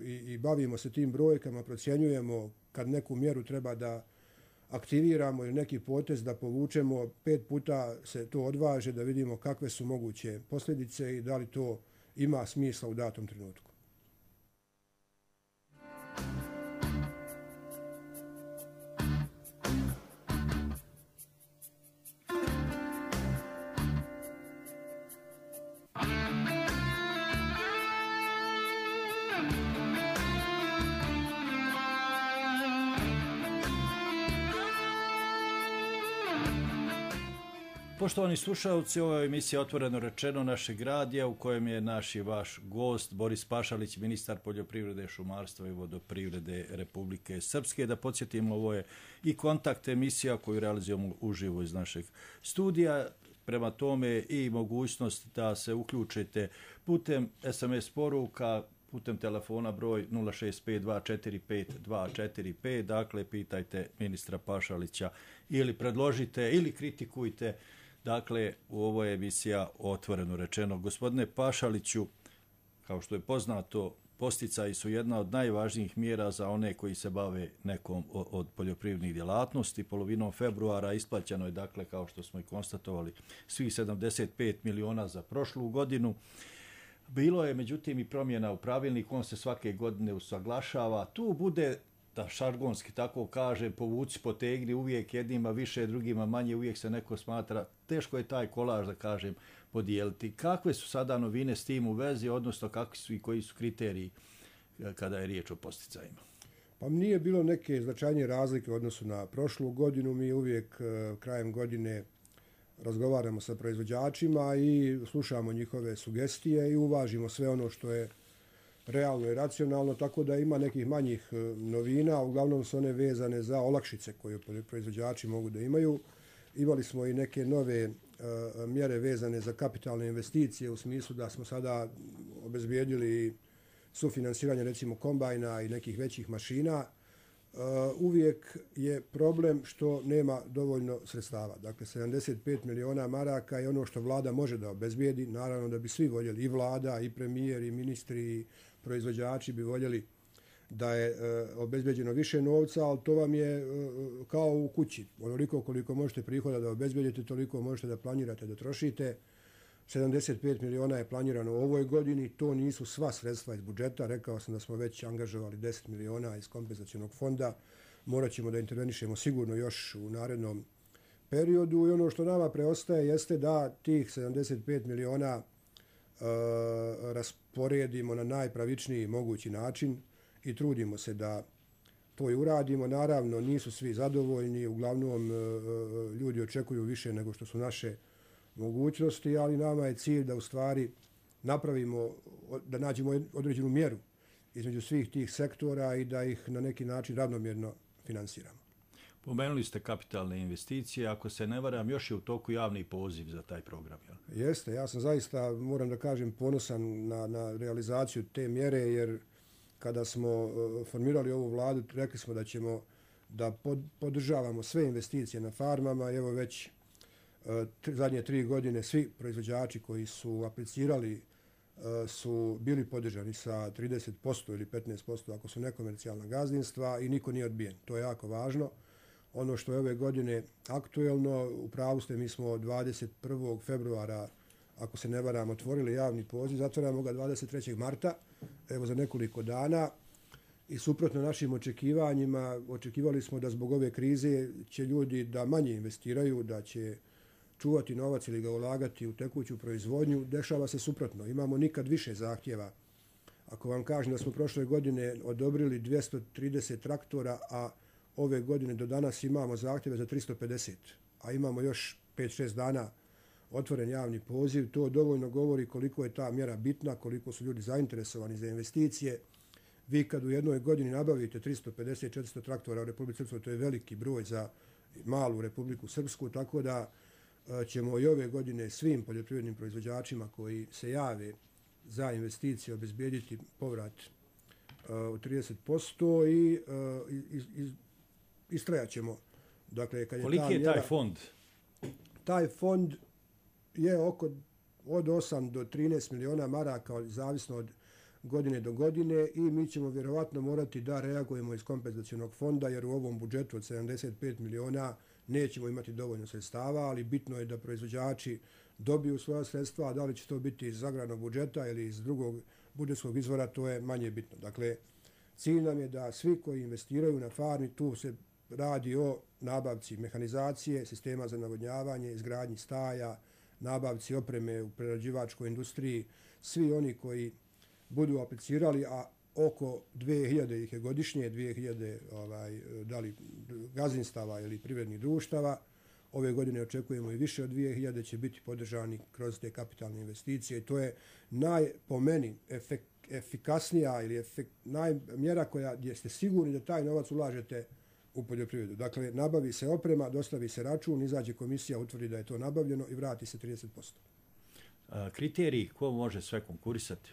S13: i bavimo se tim brojkama, procjenjujemo kad neku mjeru treba da aktiviramo ili neki potez da povučemo, 5 puta se to odvaže da vidimo kakve su moguće posljedice i da li to ima smisla u datom trenutku.
S12: Poštovani slušalci, ovo je emisija Otvoreno rečeno našeg radija u kojem je naš i vaš gost Boris Pašalić, ministar poljoprivrede, šumarstva i vodoprivrede Republike Srpske. Da podsjetimo, ovo je i kontakt emisija koju realizujemo uživo iz našeg studija. Prema tome i mogućnost da se uključite putem SMS poruka, putem telefona broj 065245245. Dakle, pitajte ministra Pašalića ili predložite ili kritikujte. Dakle, u ovoj emisija Otvoreno rečeno. Gospodine Pašaliću, kao što je poznato, podsticaji su jedna od najvažnijih mjera za one koji se bave nekom od poljoprivrednih djelatnosti. Polovinom februara isplaćeno je, dakle, kao što smo i konstatovali, svih 75 miliona za prošlu godinu. Bilo je, međutim, i promjena u pravilniku, on se svake godine usaglašava. Tu bude, da šargonski tako kaže, povuci, potegni, uvijek jednima više, drugima manje, uvijek se neko smatra, teško je taj kolaž, da kažem, podijeliti. Kakve su sada novine s tim u vezi, odnosno kakvi su i koji su kriteriji kada je riječ o posticajima?
S13: Pa nije bilo neke značajnije razlike u odnosu na prošlu godinu. Mi uvijek krajem godine razgovaramo sa proizvođačima i slušamo njihove sugestije i uvažimo sve ono što je realno i racionalno, tako da ima nekih manjih novina, uglavnom su one vezane za olakšice koje proizvođači mogu da imaju. Imali smo i neke nove mjere vezane za kapitalne investicije u smislu da smo sada obezbijedili sufinansiranje recimo kombajna i nekih većih mašina. Uvijek je problem što nema dovoljno sredstava. Dakle, 75 miliona maraka je ono što vlada može da obezbijedi. Naravno da bi svi voljeli, i vlada, i premijer, i ministri, i proizvođači bi voljeli da je obezbeđeno više novca, ali to vam je kao u kući. Onoliko koliko možete prihoda da obezbedite, toliko možete da planirate da trošite. 75 miliona je planirano u ovoj godini, to nisu sva sredstva iz budžeta. Rekao sam da smo već angažovali 10 miliona iz kompenzacionog fonda. Morat ćemo da intervenišemo sigurno još u narednom periodu i ono što nama preostaje jeste da tih 75 miliona rasporedimo na najpravičniji mogući način i trudimo se da to i uradimo. Naravno, nisu svi zadovoljni, uglavnom ljudi očekuju više nego što su naše mogućnosti, ali nama je cilj da u stvari napravimo, da nađemo određenu mjeru između svih tih sektora i da ih na neki način ravnomjerno finansiramo.
S12: Pomenuli ste kapitalne investicije, ako se ne varam, još je u toku javni poziv za taj program. Jel?
S13: Jeste, ja sam zaista, moram da kažem, ponosan na realizaciju te mjere, jer kada smo formirali ovu vladu, rekli smo da ćemo da podržavamo sve investicije na farmama. Evo već zadnje 3 godine svi proizvođači koji su aplicirali su bili podržani sa 30% ili 15% ako su nekomercijalna gazdinstva i niko nije odbijen. To je jako važno. Ono što je ove godine aktuelno, u pravu ste, mi smo 21. februara, ako se ne varam, otvorili javni poziv, zatvaramo ga 23. marta, evo za nekoliko dana. I suprotno našim očekivanjima, očekivali smo da zbog ove krize će ljudi da manje investiraju, da će čuvati novac ili ga ulagati u tekuću proizvodnju. Dešava se suprotno. Imamo nikad više zahtjeva. Ako vam kažem da smo prošle godine odobrili 230 traktora, a ove godine do danas imamo zahtjeve za 350, a imamo još 5-6 dana otvoren javni poziv. To dovoljno govori koliko je ta mjera bitna, koliko su ljudi zainteresovani za investicije. Vi kad u jednoj godini nabavite 350-400 traktora u Republici Srpskoj, to je veliki broj za malu Republiku Srpsku, tako da ćemo i ove godine svim poljoprivrednim proizvođačima koji se jave za investicije obezbijediti povrat od 30% i istrajat ćemo. Dakle, kad
S12: koliki je taj fond?
S13: Taj fond je od 8 do 13 miliona maraka, zavisno od godine do godine, i mi ćemo vjerovatno morati da reagujemo iz kompenzacionog fonda, jer u ovom budžetu od 75 miliona nećemo imati dovoljno sredstava, ali bitno je da proizvođači dobiju svoja sredstva, a da li će to biti iz agrarnog budžeta ili iz drugog budžetskog izvora, to je manje bitno. Dakle, cilj nam je da svi koji investiraju na farmi, tu se radi o nabavci mehanizacije, sistema za navodnjavanje, izgradnji staja, nabavci opreme u prerađivačkoj industriji, svi oni koji budu aplicirali, a oko 2000 ih je godišnje, 2000 da li gazdinstava ili privrednih društava. Ove godine očekujemo i više od 2000 će biti podržani kroz te kapitalne investicije. To je po meni efikasnija ili mjera gdje ste sigurni da taj novac ulažete u poljoprivredu. Dakle, nabavi se oprema, dostavi se račun, izađe komisija, utvrdi da je to nabavljeno i vrati se 30%.
S12: Kriteriji, ko može sve konkurisati?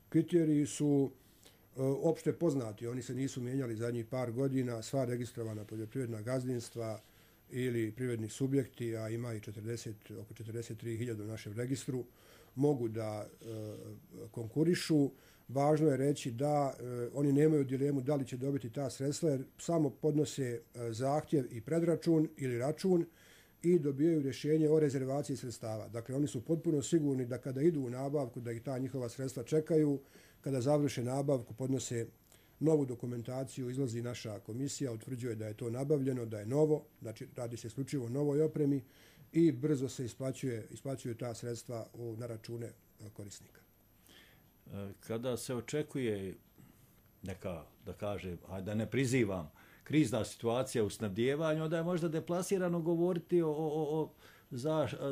S13: Kriteriji su opšte poznati, oni se nisu mijenjali zadnjih par godina. Sva registrovana poljoprivredna gazdinstva ili privredni subjekti, a ima i oko 43.000 u našem registru, mogu da konkurišu. Važno je reći da oni nemaju dilemu da li će dobiti ta sredstva, jer samo podnose zahtjev i predračun ili račun i dobijaju rješenje o rezervaciji sredstava. Dakle, oni su potpuno sigurni da kada idu u nabavku, da ih ta njihova sredstva čekaju, kada završe nabavku, podnose novu dokumentaciju, izlazi naša komisija, utvrđuje da je to nabavljeno, da je novo, znači radi se isključivo o novoj opremi i brzo se isplaćuju ta sredstva na račune korisnika.
S12: Kada se očekuje neka, da kažem, da ne prizivam, krizna situacija u snabdijevanju, onda je možda deplasirano govoriti o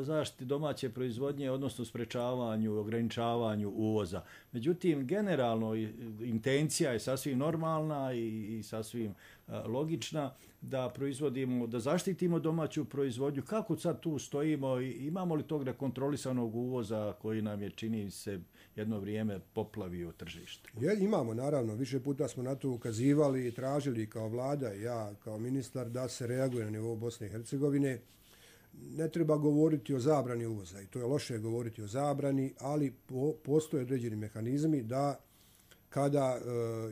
S12: zaštiti domaće proizvodnje, odnosno sprečavanju, ograničavanju uvoza. Međutim, generalno intencija je sasvim normalna i sasvim logična da proizvodimo, da zaštitimo domaću proizvodnju. Kako sad tu stojimo? Imamo li tog nekontrolisanog uvoza koji nam je, čini se, jedno vrijeme poplavio tržište?
S13: Imamo, naravno. Više puta smo na to ukazivali i tražili kao vlada i ja kao ministar da se reaguje na nivou Bosne i Hercegovine. Ne treba govoriti o zabrani uvoza i to je loše govoriti o zabrani, ali postoje određeni mehanizmi da kada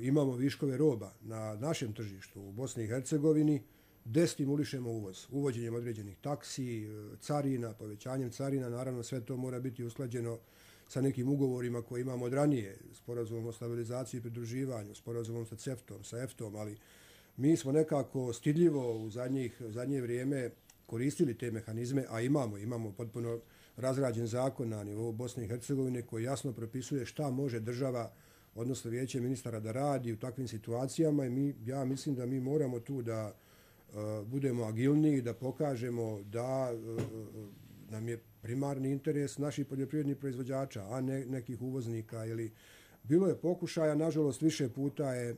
S13: imamo viškove roba na našem tržištu u Bosni i Hercegovini, destimulišemo uvoz, uvođenjem određenih taksi, carina, povećanjem carina. Naravno, sve to mora biti usklađeno sa nekim ugovorima koje imamo od ranije, sporazumom o stabilizaciji i pridruživanju, sporazumom sa CEFTA-om, sa EFTA-om, ali mi smo nekako stidljivo u zadnje vrijeme koristili te mehanizme, a imamo potpuno razrađen zakon na nivou Bosne i Hercegovine koji jasno propisuje šta može država, odnosno vijeće ministara, da radi u takvim situacijama, i ja mislim da mi moramo tu da budemo agilniji, da pokažemo da nam je primarni interes naših poljoprivrednih proizvođača, a ne nekih uvoznika. Bilo je pokušaja, nažalost više puta je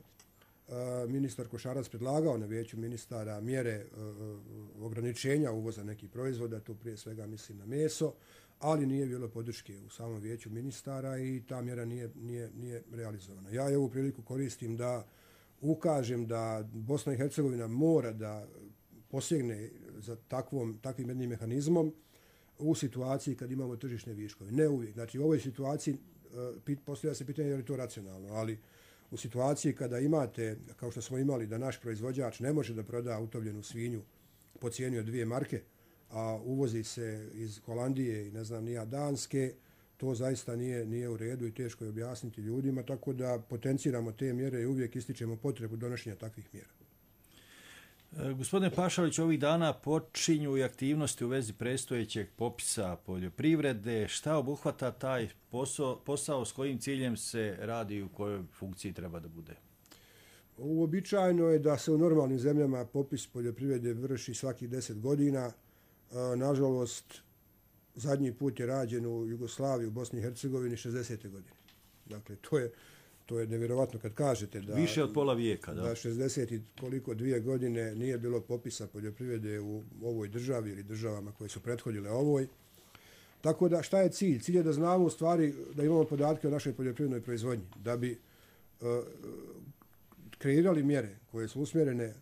S13: ministar Košarac predlagao na vijeću ministara mjere ograničenja uvoza nekih proizvoda, tu prije svega mislim na meso, ali nije bilo podrške u samom vijeću ministara i ta mjera nije realizovana. Ja ovu priliku koristim da ukažem da Bosna i Hercegovina mora da posegne za takvim jednim mehanizmom u situaciji kad imamo tržišne viškove. Ne uvijek. Znači, u ovoj situaciji postavlja se pitanje je li to racionalno, ali u situaciji kada imate, kao što smo imali, da naš proizvođač ne može da proda utovljenu svinju po cijeni od 2 marke, a uvozi se iz Holandije i ne znam nija Danske, to zaista nije u redu i teško je objasniti ljudima, tako da potenciramo te mjere i uvijek ističemo potrebu donošenja takvih mjera.
S12: Gospodine Pašalić, ovih dana počinju i aktivnosti u vezi predstojećeg popisa poljoprivrede. Šta obuhvata taj posao, s kojim ciljem se radi i u kojoj funkciji treba da bude?
S13: Uobičajeno je da se u normalnim zemljama popis poljoprivrede vrši svakih 10 godina. Nažalost, zadnji put je rađen u Jugoslaviji, u Bosni i Hercegovini 60. godine. Dakle, to je nevjerovatno kad kažete da...
S12: Više od pola vijeka, da.
S13: Da 60 i koliko 2 godine nije bilo popisa poljoprivrede u ovoj državi ili državama koje su prethodile ovoj. Tako da, šta je cilj? Cilj je da znamo u stvari, da imamo podatke o našoj poljoprivrednoj proizvodnji, da bi kreirali mjere koje su usmjerene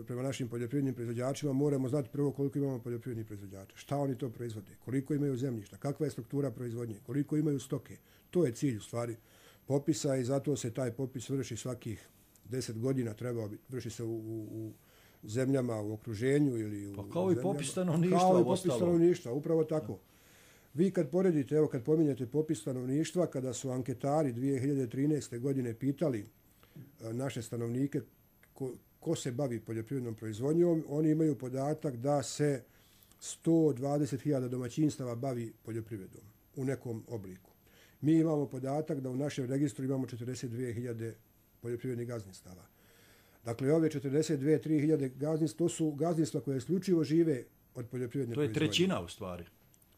S13: prema našim poljoprivrednim proizvođačima. Moramo znati prvo koliko imamo poljoprivrednih proizvođača, šta oni to proizvode, koliko imaju zemljišta, kakva je struktura proizvodnje, koliko imaju stoke. To je cilj u stvari popisa i zato se taj popis vrši svakih 10 godina, vrši se u zemljama u okruženju ili u
S12: pa kao i popis stanovništva.
S13: Kao i popis stanovništva, upravo tako. Vi kad poredite, evo kad pominjete popis stanovništva, kada su anketari 2013. godine pitali naše stanovnike ko se bavi poljoprivrednom proizvodnjom, oni imaju podatak da se 120.000 domaćinstava bavi poljoprivredom u nekom obliku. Mi imamo podatak da u našem registru imamo 42.000 poljoprivrednih gazdinstava. Dakle, ove 42.000 gazdinstva, to su gazdinstva koje isključivo žive od poljoprivredne proizvodnje.
S12: To je trećina u stvari.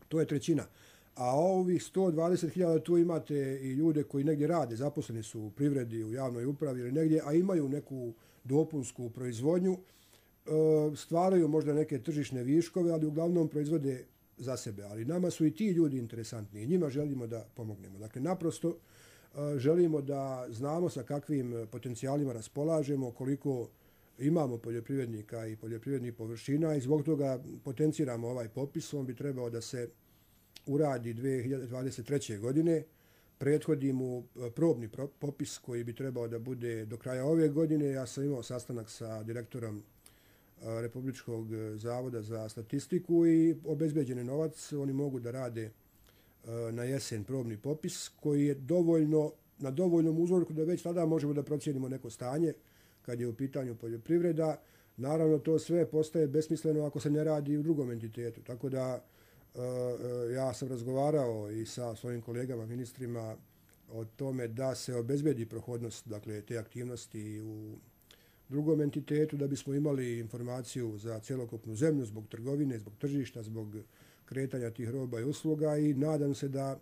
S13: To je trećina. A ovih 120.000 tu imate i ljude koji negdje rade, zaposleni su u privredi, u javnoj upravi ili negdje, a imaju neku dopunsku proizvodnju, stvaraju možda neke tržišne viškove, ali uglavnom proizvode za sebe. Ali nama su i ti ljudi interesantni i njima želimo da pomognemo. Dakle, naprosto želimo da znamo sa kakvim potencijalima raspolažemo, koliko imamo poljoprivrednika i poljoprivrednih površina i zbog toga potenciramo ovaj popis. On bi trebao da se uradi 2023. godine. Prethodi mu probni popis koji bi trebao da bude do kraja ove godine. Ja sam imao sastanak sa direktorom Republičkog zavoda za statistiku i obezbeđen novac. Oni mogu da rade na jesen probni popis koji je na dovoljnom uzorku da već tada možemo da procijenimo neko stanje kad je u pitanju poljoprivreda. Naravno, to sve postaje besmisleno ako se ne radi u drugom entitetu. Tako da ja sam razgovarao i sa svojim kolegama, ministrima, o tome da se obezbedi prohodnost, dakle, te aktivnosti u drugom entitetu, da bismo imali informaciju za cjelokupnu zemlju zbog trgovine, zbog tržišta, zbog kretanja tih roba i usluga i nadam se da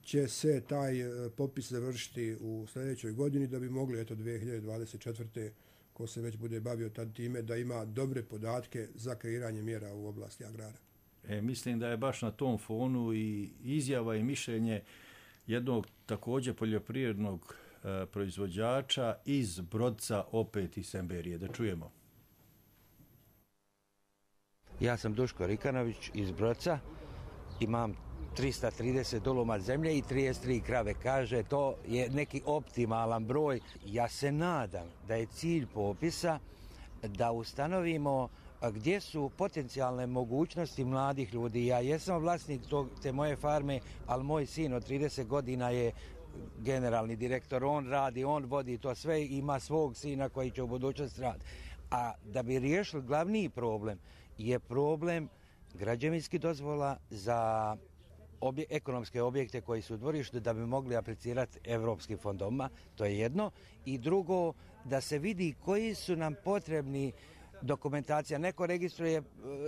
S13: će se taj popis završiti u sljedećoj godini da bi mogli 2024. ko se već bude bavio tad time da ima dobre podatke za kreiranje mjera u oblasti agrara.
S12: Mislim da je baš na tom fonu i izjava i mišljenje jednog također poljoprivrednog proizvođača iz Brodca, opet iz Semberije. Da čujemo.
S16: Ja sam Duško Rikanović iz Brodca. Imam 330 duluma zemlje i 33 krave. Kaže, to je neki optimalan broj. Ja se nadam da je cilj popisa da ustanovimo gdje su potencijalne mogućnosti mladih ljudi. Ja jesam vlasnik te moje farme, ali moj sin od 30 godina je generalni direktor. On radi, on vodi to sve, ima svog sina koji će u budućnosti raditi. A da bi riješili glavni problem je problem građevinskih dozvola za ekonomske objekte koji su u dvorištu da bi mogli aplicirati evropskim fondovima. To je jedno. I drugo, da se vidi koji su nam potrebni dokumentacija. Neko registruje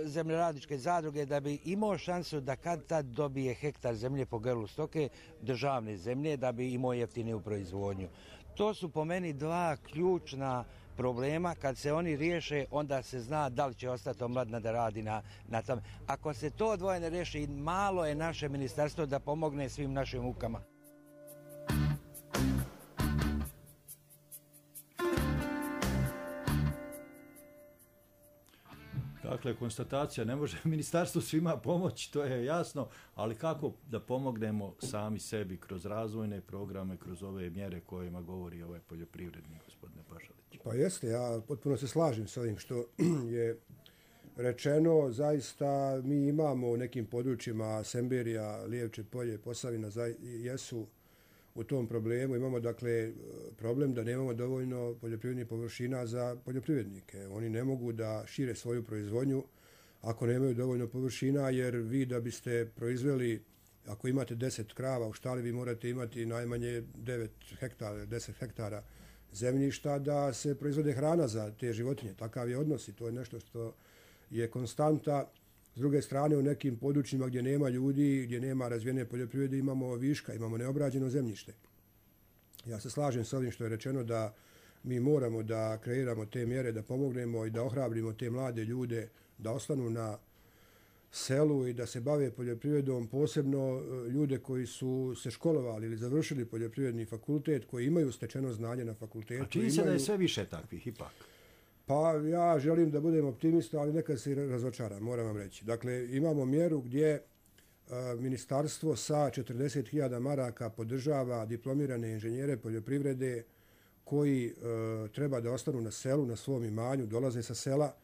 S16: zemljoradničke zadruge da bi imao šansu da kad tad dobije hektar zemlje po grlu stoke, državne zemlje, da bi imao jeftiniju proizvodnju. To su po meni dva ključna problema. Kad se oni riješe, onda se zna da li će ostati omladina da radi na tome. Ako se to dvoje ne riješi, malo je naše ministarstvo da pomogne svim našim mukama.
S12: Dakle, konstatacija, ne može ministarstvo svima pomoći, to je jasno, ali kako da pomognemo sami sebi kroz razvojne programe, kroz ove mjere kojima govori ovaj poljoprivrednik, gospodine Pašalić?
S13: Pa jeste, ja potpuno se slažem s ovim što je rečeno. Zaista mi imamo u nekim područjima Semberija, Lijevče polje, Posavina, jesu u tom problemu. Imamo dakle problem da nemamo dovoljno poljoprivrednih površina za poljoprivrednike. Oni ne mogu da šire svoju proizvodnju ako nemaju dovoljno površina, jer vi da biste proizveli, ako imate 10 krava u štali, vi morate imati najmanje 9 hektara, 10 hektara zemljišta da se proizvode hrana za te životinje. Takav je odnos i to je nešto što je konstanta. S druge strane, u nekim područjima gdje nema ljudi, gdje nema razvijene poljoprivrede, imamo viška, imamo neobrađeno zemljište. Ja se slažem s ovim što je rečeno da mi moramo da kreiramo te mjere, da pomognemo i da ohrabrimo te mlade ljude da ostanu na selu i da se bave poljoprivredom, posebno ljude koji su se školovali ili završili poljoprivredni fakultet, koji imaju stečeno znanje na fakultetu.
S12: A čini se da je sve više takvih ipak?
S13: Pa ja želim da budem optimista, ali nekad se i razočaram, moram vam reći. Dakle, imamo mjeru gdje ministarstvo sa 40.000 maraka podržava diplomirane inženjere poljoprivrede koji treba da ostanu na selu, na svom imanju, dolaze sa sela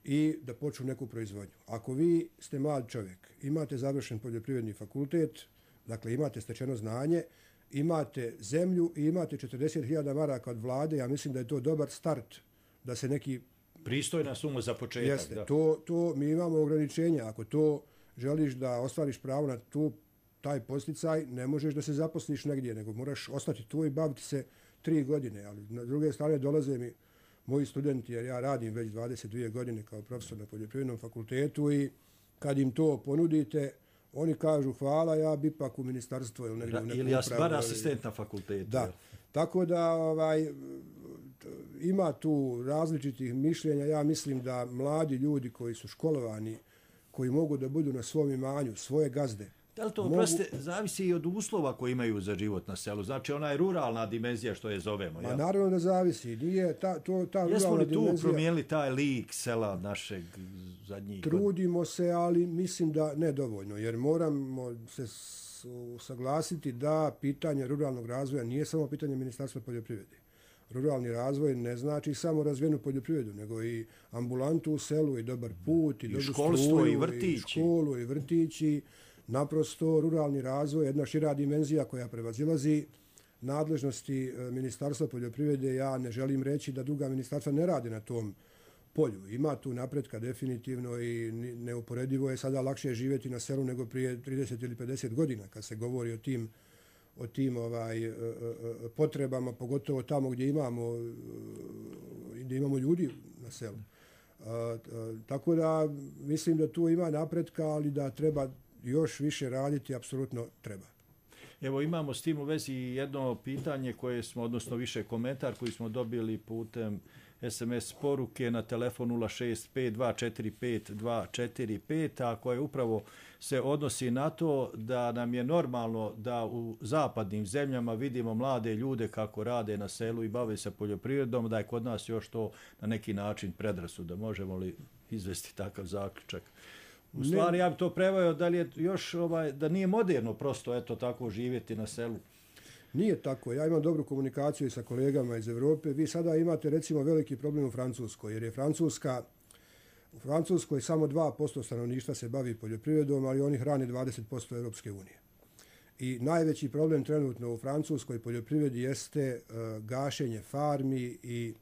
S13: i da počnu neku proizvodnju. Ako vi ste mlad čovjek, imate završen poljoprivredni fakultet, dakle imate stečeno znanje, imate zemlju i imate 40.000 maraka od vlade, ja mislim da je to dobar start da se neki...
S12: Pristojna suma za početak.
S13: Jeste,
S12: da.
S13: To mi imamo ograničenja. Ako to želiš da ostvariš pravo na taj posticaj, ne možeš da se zaposliš negdje, nego moraš ostati tu i baviti se 3 godine. Ali na druge strane dolaze mi moji studenti, jer ja radim već 22 godine kao profesor na poljoprivrednom fakultetu i kad im to ponudite, oni kažu hvala, ja bi ipak u ministarstvo ili negdje u nekom
S12: ili ja bar asistent na fakultetu.
S13: Da, tako da ima tu različitih mišljenja. Ja mislim da mladi ljudi koji su školovani, koji mogu da budu na svom imanju, svoje gazde.
S12: Da li to zavisi i od uslova koji imaju za život na selu? Znači ona je ruralna dimenzija što je zovemo.
S13: Ma naravno da zavisi. Nije ta
S12: jesmo li tu
S13: dimenzija...
S12: promijenili taj lik sela našeg zadnjih?
S13: Trudimo se, ali mislim da nedovoljno, jer moramo se saglasiti da pitanje ruralnog razvoja nije samo pitanje Ministarstva poljoprivrede. Ruralni razvoj ne znači samo razvijenu poljoprivredu, nego i ambulantu u selu, i dobar put, i dobru
S12: školstvo, i
S13: vrtići. I školu, i vrtići. Naprosto, ruralni razvoj je jedna šira dimenzija koja prevazilazi nadležnosti Ministarstva poljoprivrede. Ja ne želim reći da druga ministarstva ne rade na tom polju. Ima tu napretka definitivno i neuporedivo je sada lakše živjeti na selu nego prije 30 ili 50 godina kad se govori o tim potrebama, pogotovo tamo gdje imamo ljudi na selu. Tako da mislim da tu ima napretka, ali da treba još više raditi, apsolutno treba.
S12: Evo imamo s tim u vezi jedno pitanje koje smo, odnosno više komentar koji smo dobili putem SMS poruke na telefon 065-245-245, a koje upravo se odnosi na to da nam je normalno da u zapadnim zemljama vidimo mlade ljude kako rade na selu i bave se poljoprivredom, da je kod nas još to na neki način predrasuda. Možemo li izvesti takav zaključak? U stvari, ja bi to preveo da li je još da nije moderno prosto eto tako živjeti na selu.
S13: Nije tako. Ja imam dobru komunikaciju i sa kolegama iz Evrope. Vi sada imate recimo veliki problem u Francuskoj, jer je u Francuskoj samo 2% stanovništva se bavi poljoprivredom, ali oni hrane 20% Europske unije. I najveći problem trenutno u francuskoj poljoprivredi jeste gašenje farmi i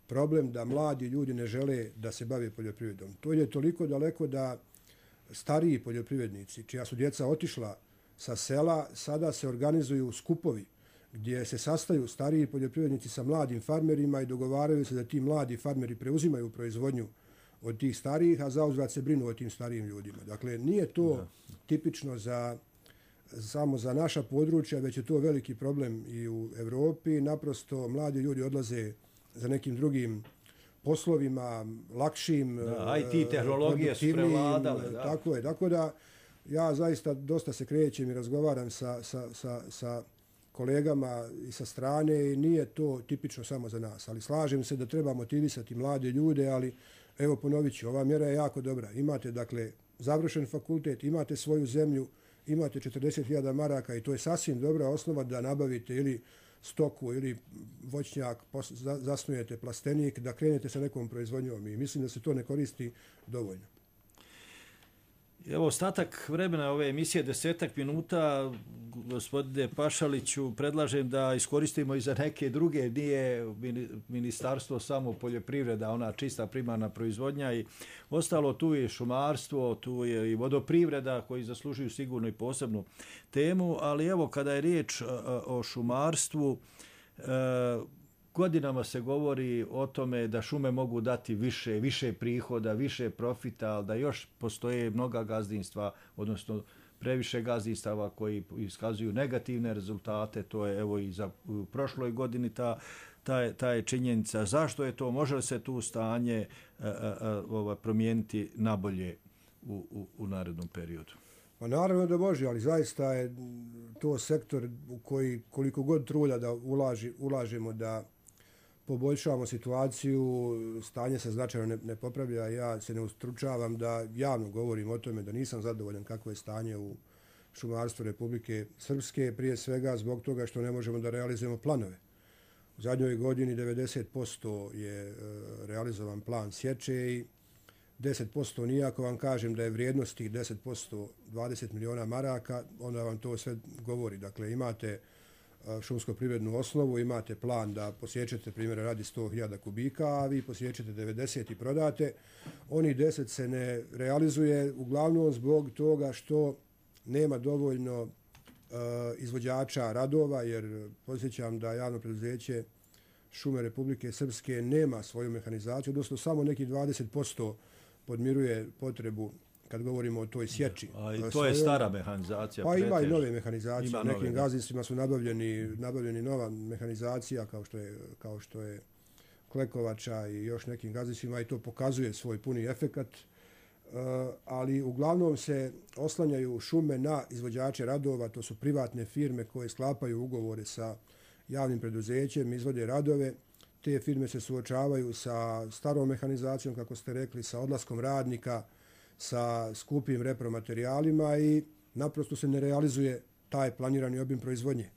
S13: problem da mladi ljudi ne žele da se bave poljoprivredom. To je toliko daleko da stariji poljoprivrednici, čija su djeca otišla sa sela, sada se organizuju skupovi gdje se sastaju stariji poljoprivrednici sa mladim farmerima i dogovaraju se da ti mladi farmeri preuzimaju proizvodnju od tih starijih, a zauzvrat se brinu o tim starijim ljudima. Dakle, nije to tipično samo za naša područja, već je to veliki problem i u Evropi. Naprosto, mladi ljudi odlaze za nekim drugim poslovima, lakšim,
S12: IT tehnologije su prevladale.
S13: Tako je. Tako da ja zaista dosta se krećem i razgovaram sa kolegama i sa strane i nije to tipično samo za nas. Ali slažem se da treba motivisati mlade ljude, ali evo ponovit ću, ova mjera je jako dobra. Imate dakle završen fakultet, imate svoju zemlju, imate 40.000 maraka i to je sasvim dobra osnova da nabavite ili stoku ili voćnjak, zasnujete plastenik, da krenete sa nekom proizvodnjom i mislim da se to ne koristi dovoljno.
S12: Evo, ostatak vremena ove emisije, 10 minuta, gospodine Pašaliću, predlažem da iskoristimo i za neke druge. Nije ministarstvo samo poljoprivreda, ona čista primarna proizvodnja i ostalo, tu je šumarstvo, tu je i vodoprivreda koji zaslužuju sigurno i posebnu temu, ali evo kada je riječ o šumarstvu, godinama se govori o tome da šume mogu dati više prihoda, više profita, ali da još postoje mnoga gazdinstva, odnosno previše gazdinstava koji iskazuju negativne rezultate. To je evo i za prošloj godini ta je činjenica. Zašto je to? Može li se tu stanje promijeniti nabolje u narednom periodu?
S13: Pa naravno da može, ali zaista je to sektor u koji koliko god truda da ulažemo da poboljšavamo situaciju, stanje se značajno ne popravlja. Ja se ne ustručavam da javno govorim o tome da nisam zadovoljan kako je stanje u šumarstvu Republike Srpske, prije svega zbog toga što ne možemo da realizujemo planove. U zadnjoj godini 90% je realizovan plan sječe i 10% nije. Ako vam kažem da je vrijednost tih 10% 20 miliona maraka, onda vam to sve govori. Dakle, imate šumsko-privrednu osnovu, imate plan da posjećete, primjera radi 100.000 kubika, a vi posjećete 90 i prodate. Oni 10 se ne realizuje uglavnom zbog toga što nema dovoljno izvođača radova, jer posjećam da javno preduzeće Šume Republike Srpske nema svoju mehanizaciju, odnosno samo neki 20% podmiruje potrebu kad govorimo o toj sječi.
S12: A i to je stara mehanizacija.
S13: Pa ima i nove mehanizacije. U nekim gazdinstvima su nabavljeni nova mehanizacija kao što je klekovača i još nekim gazdinstvima i to pokazuje svoj puni efekat. Ali uglavnom se oslanjaju šume na izvođače radova, to su privatne firme koje sklapaju ugovore sa javnim preduzećem, izvode radove. Te firme se suočavaju sa starom mehanizacijom, kako ste rekli, sa odlaskom radnika, sa skupim repromaterijalima i naprosto se ne realizuje taj planirani obim proizvodnje.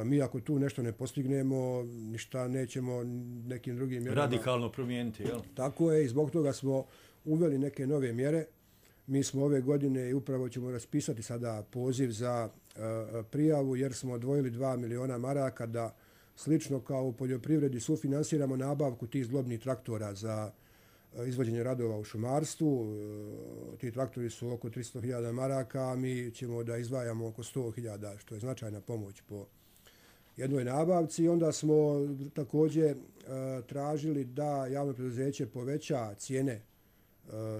S13: Mi ako tu nešto ne postignemo, ništa nećemo nekim drugim mjerama
S12: radikalno promijeniti, jel?
S13: Tako je i zbog toga smo uveli neke nove mjere. Mi smo ove godine i upravo ćemo raspisati sada poziv za prijavu jer smo odvojili 2 miliona maraka da slično kao u poljoprivredi sufinansiramo nabavku tih zglobnih traktora za izvođenje radova u šumarstvu. Ti traktori su oko 300.000 maraka, a mi ćemo da izdvajamo oko 100.000, što je značajna pomoć po jednoj nabavci. Onda smo također tražili da javno preduzeće poveća cijene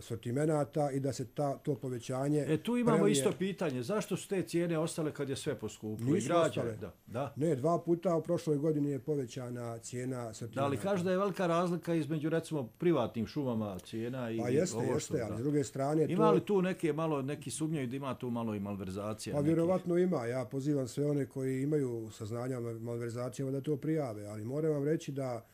S13: sortimenata i da se to povećanje...
S12: Tu imamo isto pitanje. Zašto su te cijene ostale kad je sve poskupilo?
S13: Nisu ostale. Da. Ne, 2 puta u prošloj godini je povećana cijena sortimenata.
S12: Da li kaže da je velika razlika između recimo privatnim šumama cijena i
S13: pa jeste, ali s druge strane...
S12: Ima li tu neki sumnjaju da ima tu malo i malverzacija?
S13: Pa vjerovatno ima. Ja pozivam sve one koji imaju saznanja o malverzacijama da to prijave, ali moram vam reći da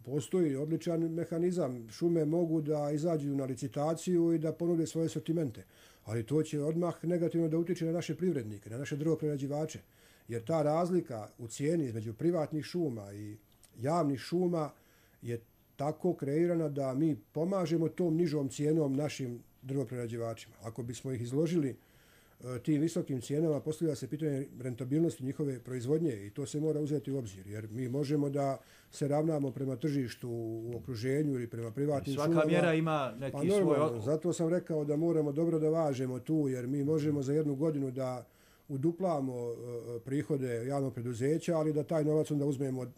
S13: postoji odličan mehanizam. Šume mogu da izađu na licitaciju i da ponude svoje sortimente, ali to će odmah negativno da utiče na naše privrednike, na naše drvoprerađivače, jer ta razlika u cijeni između privatnih šuma i javnih šuma je tako kreirana da mi pomažemo tom nižom cijenom našim drvoprerađivačima. Ako bismo ih izložili tim visokim cijenama, postavlja se pitanje rentabilnosti njihove proizvodnje i to se mora uzeti u obzir, jer mi možemo da se ravnamo prema tržištu u okruženju ili prema privatnim šumama.
S12: Svaka mjera ima neki svoj...
S13: Zato sam rekao da moramo dobro da važemo tu, jer mi možemo za jednu godinu da uduplamo prihode javnog preduzeća, ali da taj novac onda uzmemo od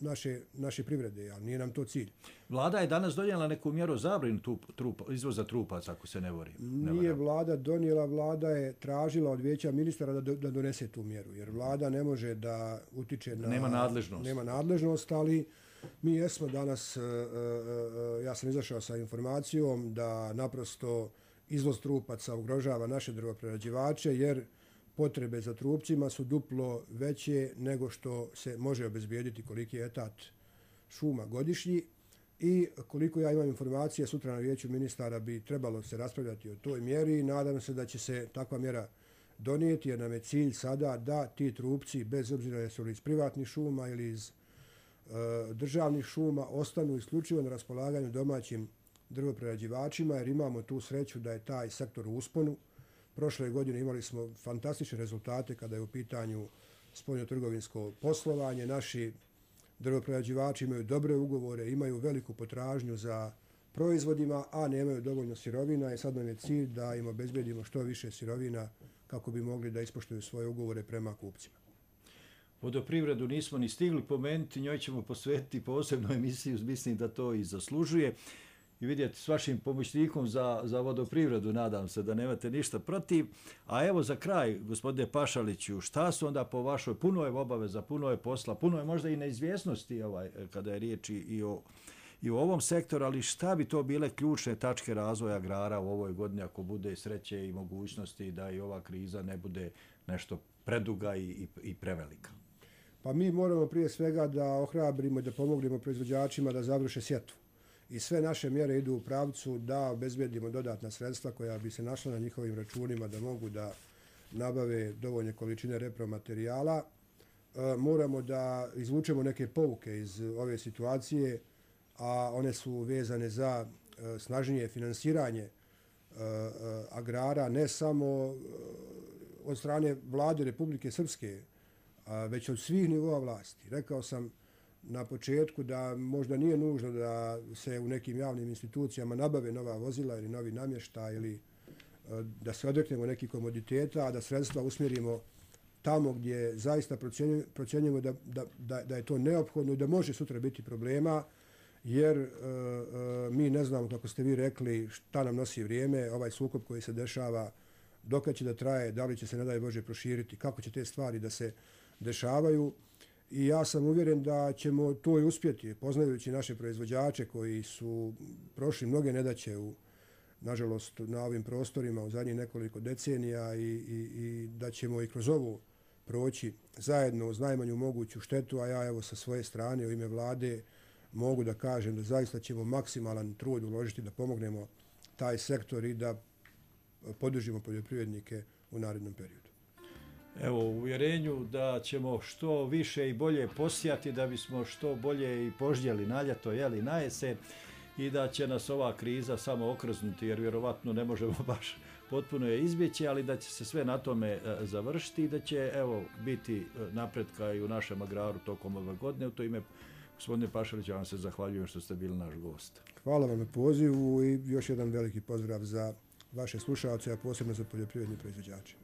S13: naše privrede, ali nije nam to cilj.
S12: Vlada je danas donijela neku mjeru zabranu izvoza trupaca, ako se ne varam.
S13: Nije vlada donijela, vlada je tražila od vijeća ministara da donese tu mjeru, jer vlada ne može da utiče na... Nema nadležnost, ali mi jesmo danas, ja sam izašao sa informacijom da naprosto izvoz trupaca ugrožava naše drvoprerađivače, jer potrebe za trupcima su duplo veće nego što se može obezbijediti koliki je etat šuma godišnji i koliko ja imam informacije sutra na vijeću ministara bi trebalo se raspravljati o toj mjeri i nadam se da će se takva mjera donijeti jer nam je cilj sada da ti trupci bez obzira jesu li iz privatnih šuma ili iz državnih šuma ostanu isključivo na raspolaganju domaćim drvoprerađivačima jer imamo tu sreću da je taj sektor u usponu. Prošle godine imali smo fantastične rezultate kada je u pitanju spoljnotrgovinsko poslovanje. Naši drvoprerađivači imaju dobre ugovore, imaju veliku potražnju za proizvodima, a nemaju dovoljno sirovina i sad nam je cilj da im obezbedimo što više sirovina kako bi mogli da ispoštuju svoje ugovore prema kupcima.
S12: vodoprivredu nismo ni stigli pomenuti, njoj ćemo posvetiti posebnu emisiju, mislim da to i zaslužuje. I vidjeti s vašim pomoćnikom za vodoprivredu, nadam se da nemate ništa protiv. A evo za kraj, gospodine Pašaliću, šta su onda po vašoj, puno je obaveza, puno je posla, puno je možda i neizvjesnosti kada je riječ i o ovom sektoru, ali šta bi to bile ključne tačke razvoja agrara u ovoj godini ako bude sreće i mogućnosti da i ova kriza ne bude nešto preduga i prevelika?
S13: Pa mi moramo prije svega da ohrabrimo i da pomognemo proizvođačima da završe sjetvu. I sve naše mjere idu u pravcu da obezbedimo dodatna sredstva koja bi se našla na njihovim računima da mogu da nabave dovoljne količine repromaterijala. Moramo da izvučemo neke pouke iz ove situacije, a one su vezane za snažnije finansiranje agrara, ne samo od strane vlade Republike Srpske, već od svih nivoa vlasti. Rekao sam na početku da možda nije nužno da se u nekim javnim institucijama nabave nova vozila ili novi namještaj ili da se odreknemo nekih komoditeta, a da sredstva usmjerimo tamo gdje zaista procjenjujemo da je to neophodno i da može sutra biti problema, jer mi ne znamo, kako ste vi rekli, šta nam nosi vrijeme, ovaj sukob koji se dešava, dokad će da traje, da li će se, ne daj Bože, proširiti, kako će te stvari da se dešavaju. I ja sam uvjeren da ćemo to i uspjeti, poznajući naše proizvođače koji su prošli mnoge nedaće nažalost na ovim prostorima u zadnjih nekoliko decenija i da ćemo i kroz ovo proći zajedno uz najmanju moguću štetu, a ja evo sa svoje strane u ime vlade mogu da kažem da zaista ćemo maksimalan trud uložiti da pomognemo taj sektor i da podržimo poljoprivrednike u narednom periodu.
S12: Evo, u uvjerenju da ćemo što više i bolje posijati, da bismo što bolje i požnjeli na ljeto, na jesen, i da će nas ova kriza samo okrznuti, jer vjerovatno ne možemo baš potpuno je izbjeći, ali da će se sve na tome završiti i da će biti napretka i u našem agraru tokom ove godine. U to ime, gospodine Pašalić, ja vam se zahvaljujem što ste bili naš gost.
S13: Hvala vam na pozivu i još jedan veliki pozdrav za vaše slušalce, a posebno za poljoprivredne proizvođače.